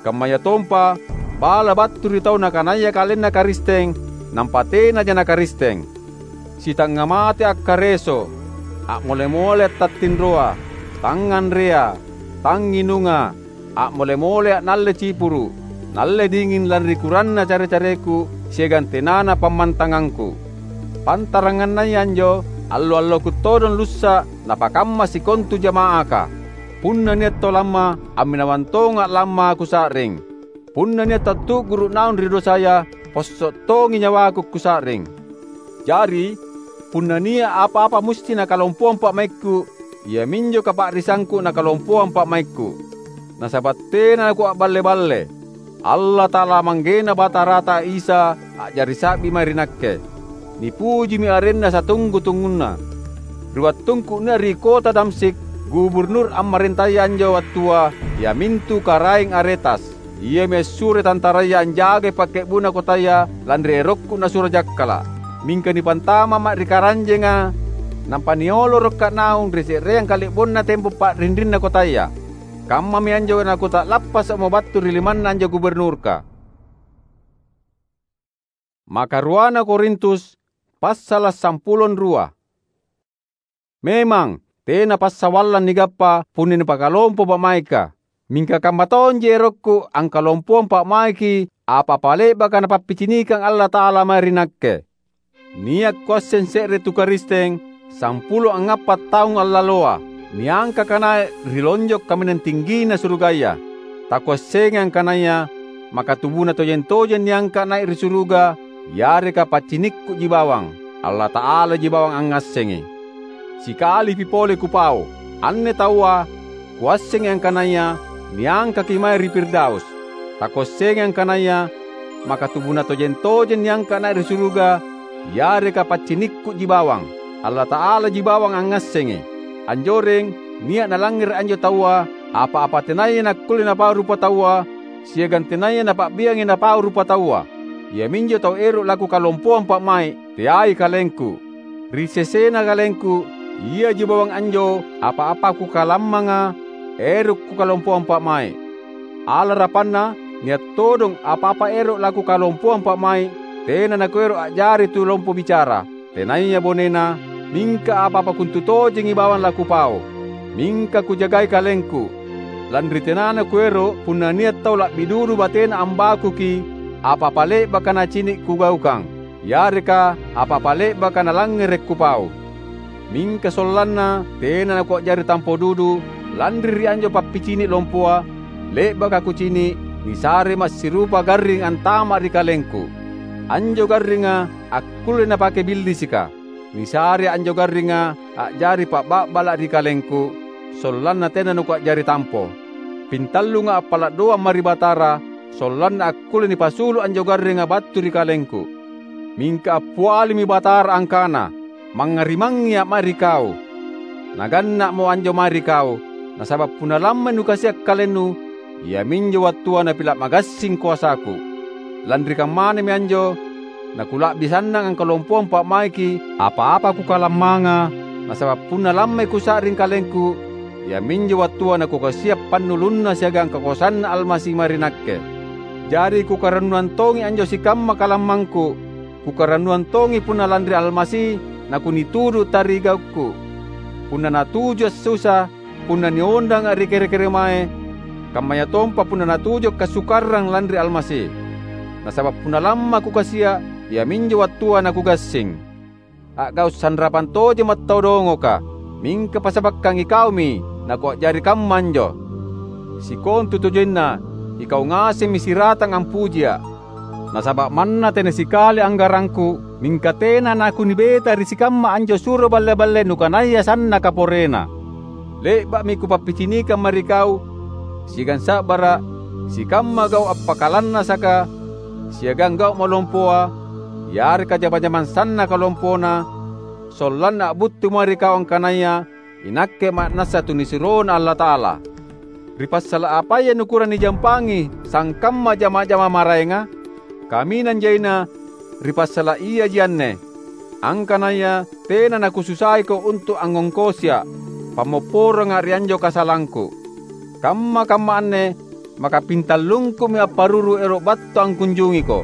kammayatompa bala battu ri tau nakanaya kalenna Karisteng, nampa tenaja naKaristeng. Sitangnga mate akkareso, a'mole-mole attattinroa, tangnganrea, tangnginunga, a'mole-mole a'nalle cipuru', nalle dinging lanri kuranna care-careku siagang tenana pammantangangku. Pantarangannaya anjo, allo-alloku todong lussa' napakamma sikontu jama'aka. Punna nia' tau lamma, amminawang tonga' lamma kusa'ring. Punna nia' tau tu'guru' naung ri dosaya, posso' tongi nyawaku kusa'ring. Jari, punna nia' apa-apa musti nakalompoang pa'maikku, iaminjo kapa'risangku nakalompoang pa'maikku. Nasaba' tena nakua'balle-balle. Allata'ala Manggena Batarata Isa a'jari sa'bi mae ri nakke. Nipujimi arenNa satunggu-tungguna. Ri wattungku nia' ri kota Damsyik, guburnur ammarentaya anjo wattua, iamintu Karaeng Aretas. Iami assuroi tantaraya anjagai pakke'bu'na kotaya lanri erokku nasuro jakkala'. Mingka nipantama'ma' ri karanjenga, nampa niolorokka' naung ri se'reang kale'bonna tempo pa'rinrinna kotaya. Kammami anjo nakuta'lappasa'mo battu ri limanna anjo guburnurka. Makaruana Korintus, passala' sampulo rua. Memang, tena passawallang nigappa punna nipakalompo pa'maika. Mingka kamma tonji erokku angkalompoang pa'maiki apa-apa le'baka Napappicinikang Allata'ala mae ri nakke. Nia' kuasseng se're tu Karisteng, sampulo angngappa' taung allaloa, niangkaka nai' ri lonjo' kaminang tinggina surugaya. Takuassengai angkanaya maka tubuna tojeng-tojeng niangka' nai' ri suruga, yareka paccinikku'ji bawang, Allata'alaji bawang angngassengi. Sikalipi pole kupau, anne taua kuassengi angkanaya niangkaki mae ri Firdaus. Takuassengi angkanaya maka tubuna tojeng-tojeng niangka' nai' ri suruga, yareka paccinikku'ji bawang, Allata'alaji bawang angngassengi. Anjoreng, nia' nalangngere' anjo taua, apa-apa tenaya nakkulle napau rupataua, siagang tenaya napa'biangi napau rupataua. Iaminjo tau ero' lakukalompoang pa'mai', teai kalengku. Ri sesena kalengku, iaji bawang anjo apa-apa kukalammanga ero' kukalompoang pa'mai'. Alarapanna, nia' todong apa-apa ero' lakukalompoang pa'mai', tena nakuero' a'jari tu lompo bicara, tenaya bonena, mingka apa-apa kontutojengi bawang lakupau. Mingka kujagai kalengku, lanri tenana kuero' punna nia' tau la'bi dudu batena ambakuki apa-apa le'baka nacini' kugaukang, yareka apa-apa le'baka nalangngere' kupau. Mingka sollanna tena nakua'jari tampo dudu lanri ri anjo pappicini' lompoa, le'baka kucini', nisare massirupa garring antama' ri kalengku. Anjo garringa akkulle napake billisika. Nisare anjo garringa a'jari pa'ba'bala' ri kalengku, sollanna tena nakua'jari tampo. Pintallunga appala' doang mae ri Batara, sollanna akkulle nipasulu' anjo garringa battu ri kalengku. Mingka appialimi Batara angkana, "Mangngarimangngia' mae ri kau. Naganna'mo anjo mae ri kau, nasaba' punna lammai nukasia' kalennu, iaminjo wattua napila' magassing koasaku." Lanri kammanami anjo, nakula'bi sannang angkalompoang pa'maiki apa-apa kukalammanga, nasaba' punna lammai kusa'ring kalengku, iaminjo wattua nakukasia’ pannulunNa siagang kakoasanNa Almasi mae ri nakke. Jari kukarannuang tongi anjo sikamma kalammangku; kukarannuang tongi punna lanri Almasi nakunitudu’ tarigaukku, punna natuju’ assusa, punna nionranga’ ri kere-keremae, kammayatompa punna natuju’ kassukarrang lanri Almasi. Nasaba’ punna lamma’ kukasia’, iaminjo wattua nakugassing. A'gau’ sanrapang tojemma’ tau dongoka, mingka passabakkang ikaumi nakua'jari kamma anjo. Sikontutojenna, ikau ngasemmi siratang ampujia’. Nasaba’ manna tena sikali anggarangku, mingka tena nakunibeta ri sikamma anjo suro balle-balle nukanaya sannaka porena. Le'ba'mi kupappicinikang mae ri kau siagang sa'bara’, sikamma gau’ appakalannasaka siagang gau’ malompoa, yareka jama-jamang sannaka lompona, sollanna a'buttui mae ri kau angkanaya inakke ma'nassa tunisuroNa Allata'ala. Ri passala’ apaya nukurang nijampangi sangkamma jama-jama maraenga? Kaminang jaina ri passala’ iaji anne: angkanaya tena nakususaiko untu’ angngongkosia’ pammopporanga ri anjo kasalangku. Kamma-kamma anne maka pintallungkumi apparuru ero’ battu angkunjungiko,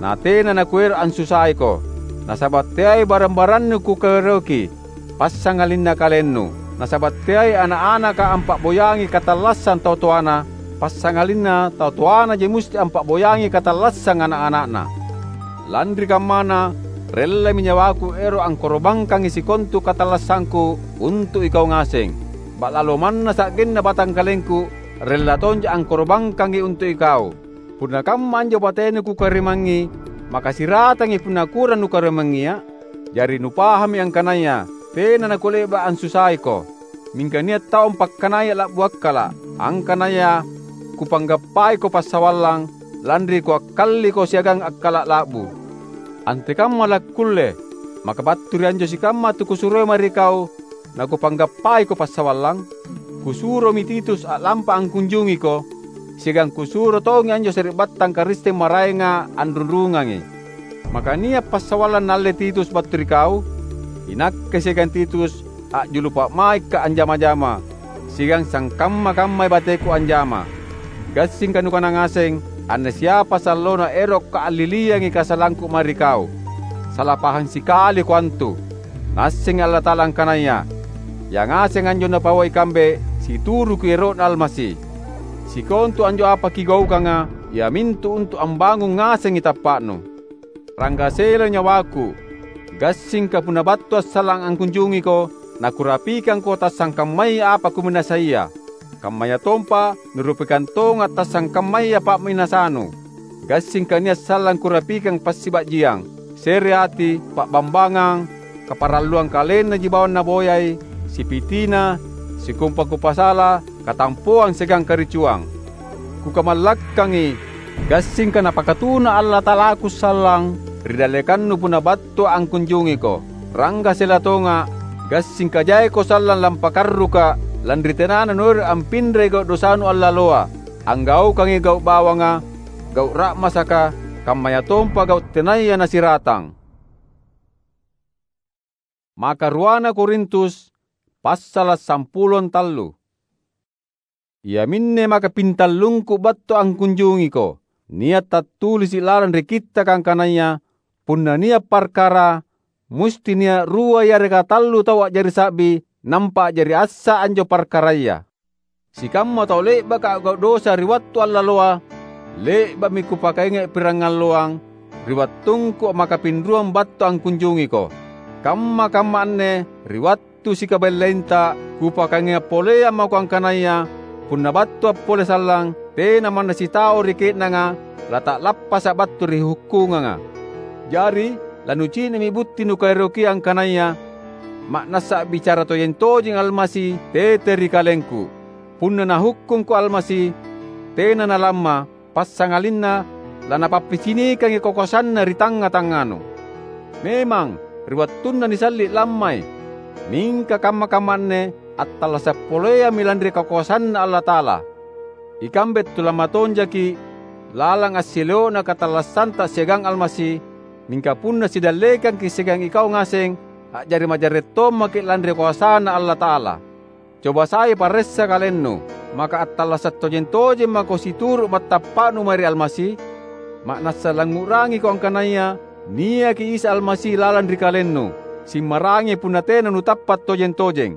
na tena nakuero’ ansusaiko. Nasaba’ teai barang-barannu kukaeroki, passangalinna kalennu. Nasaba’ teai ana’-anaka ampa'boyangi katallassang tau toana, passangalinna tau toanaji musti ampa'boyangi katallassang ana’-ana'na. Lanri kammana, rellami nyawaku ero’ angkoro'bangkangi sikontu katallassangku untu’ ikau ngaseng. Ba'lalo manna sa'genna batangkalengku, rella tonja angkoro'bangkangi untu’ ikau. Punna kamma anjo batenu kukarimangngi, maka siratangi punna kurang nukarimangngia? Jari nupahammi angkanaya tena nakule'ba’ ansusaiko. Mingka nia’ tau ampakkanaya la'bu akkala’, angkanaya kupanggappaiko passawallang, lanri kuakkalliko siagang akkala’ la'bu. Antekamma lakkulle, maka battu ri anjo sikamma tukusuroi mae ri kau, nakupanggappaiko passawallang? Kusuromi Titus a'lampa angkunjungiko, siagang kusuro tongi anjo sari'battang Karisteng maraenga anrunrungangi. Maka nia’ passawallang naalle Titus battu ri kau? Inakke siagang Titus a'julu pa'maikka’ anjama-jama, siagang sangkamma-kammai bateku anjama. Gassingka nukana ngaseng, anne siapa sallona erokka’ alliliangi kasalangku mae ri kau. Sala pahang sikaliko antu. Naassengi Allata'ala angkanaya yangaseng anjo Napauai ikambe situruki ero'Na Almasi. Sikontu anjo apa kigaukanga, iamintu untu’ ambangung ngasengi tappa'nu. Ranggaselo nyawaku, gassingka punna battu assallang angkunjungiko, nakurapikangko tassangkammaya apa kuminasaia. Kammayatompa nurapikang tonga’ tassangkammaya pa'minasanu. Gassingka nia’ sallang kurapikang passiba'jiang, se're ati, pa'bambangang, kaparalluang kalennaji bawang naboyai, sipitina, sikompa kupasala, katampoang siagang karicuang. Kukamallakkangi, gassingka Napakatuna Allata'alaku sallang ri dallekannu punna battua angkunjungiko. Ranggasela tonga’, gassingka jaiko sallang lampakarruka’ lanri tenana nuero’ ampinrai gau’ dosanu allaloa, anggaukangi gau’ bawanga, gau’ ra'masaka, kammayatompa gau’ tenaya nasiratang. Maka ruana Korintus, passala’ sampulo tallu. Iaminne maka pintallungku battu angkunjungiko. Nia’ tattulisi’ lalang ri Kittaka angkanaya, "Punna nia’ parkara, musti nia’ rua yareka tallu tau a'jari sa'bi, nampa a'jari assa anjo parkaraya." Sikamma tau le'baka a'gau’ dosa ri wattu allaloa, le'ba'mi kupakainga’ pirangalloang ri wattungku ammakapinruang battu angkunjungiko. Kamma-kamma anne ri wattu sikabellainta kupakainga’ poleang mako angkanaya punna battua pole sallang, tena manna sitau ri ke'nanga lata'lappasa’ battu ri hukkunganga. Jari, lanucini'mi butti nukaerokia angkanaya ma'nassa a'bicara tojeng-tojeng Almasi tete ri kalengku. Punna Nahukkungko Almasi, tena nalamma, passangalinna laNapappicinikangi kakoasanNa ri tangnga-tangnganu. Memang, ri wattunna nisalli’ lammai, mingka kamma-kamma anne attallasa’ poleammi lanri kakoasanNa Allata'ala. Ikambe tulamma tonjaki’ lalang assileo'na katallassanta siagang Almasi, mingka punna sidallekangki’ siagang ikau ngaseng, a'jari majarre’ tommaki’ lanri koasaNa Allata'ala. Coba sai paressa kalennu, maka attallasa’ tojeng-tojeng mako situru’ mattappa'nu mae ri Almasi? Ma'nassa langngu'rangiko angkanaya niaki Isa Almasi lalang ri kalennu, simmarangi punna tena nutappa’ tojeng-tojeng.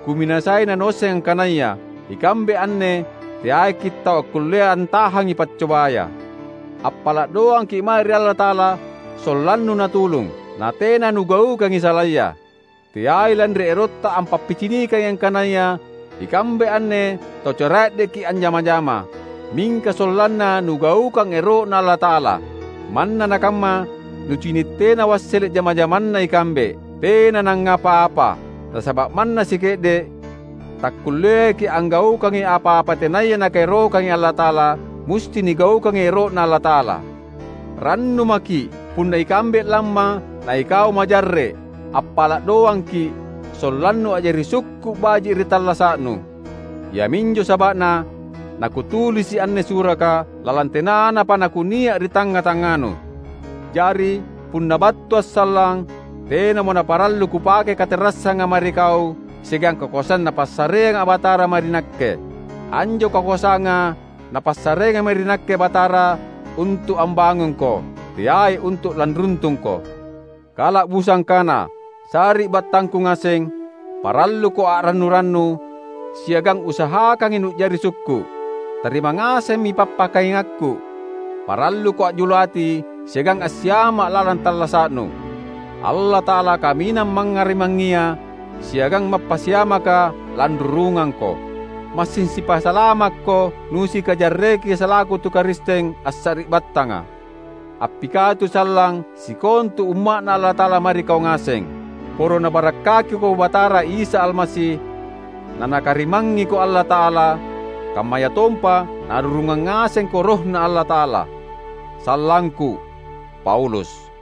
Kuminasai nanuasseng angkanaya ikambe anne teaiki’ tau akkullea antahangi paccobaya. Appala’ doangki’ mae ri Allata'ala sollannu Natulung, natena nugaukangi salaya. Teai lanri erotta ampappicinikangi angkanaya ikambe anne tau cara'deki anjama-jama, mingka sollanna nugaukang ero'Na Allata'ala. Manna nakamma, nucini’ tena wassele’ jama-jamanna ikambe, tena nangngapa-apa. Nasaba’ manna sike'de’, takkulleaki anggaukangi apa-apa tenaya Nakaerokangi Allata'ala, musti nigaukangi ero'Na Allata'ala. Rannu maki’ punna ikambe lamma na ikau majarre’, appala’ doangki’ sollannu a'jari sukku’ baji’ ri tallasa'nu. Iaminjo saba'na nakutulisi’ anne suraka lalang tenanapa nakunia’ ri tangnga-tangnganu. Jari, punna battua’ sallang, tenamo naparallu kupake katerassanga mae ri kau siagang kakoasang Napassareanga Batara mae ri nakke. Anjo kakoasanga Napassareanga mae ri nakke Batara untu’ ambangungko, teai untu’ lanruntungko. Kala'busa angkana, sari'battangku ngaseng, paralluko a'rannu-rannu, siagang usahakangi nu'jari sukku’. Tarima ngasemmi pappakaingakku. Paralluko a'julu ati siagang assiama’ lalang tallasa'nu. Allata'ala kaminang mangngarimangngia siagang mappasiamaka lanrurungangko. Massing sipasalamakko nusikajarreki salaku tu Karisteng assari'battanga. Appikatu sallang sikontu umma'Na Allata'ala mae ri kau ngaseng. Poro Nabarakkakiko Batara Isa Almasi, naNakarimangngiko Allata'ala, kammayatompa narurungang ngasengko RohNa Allata'ala. Sallangku, Paulus.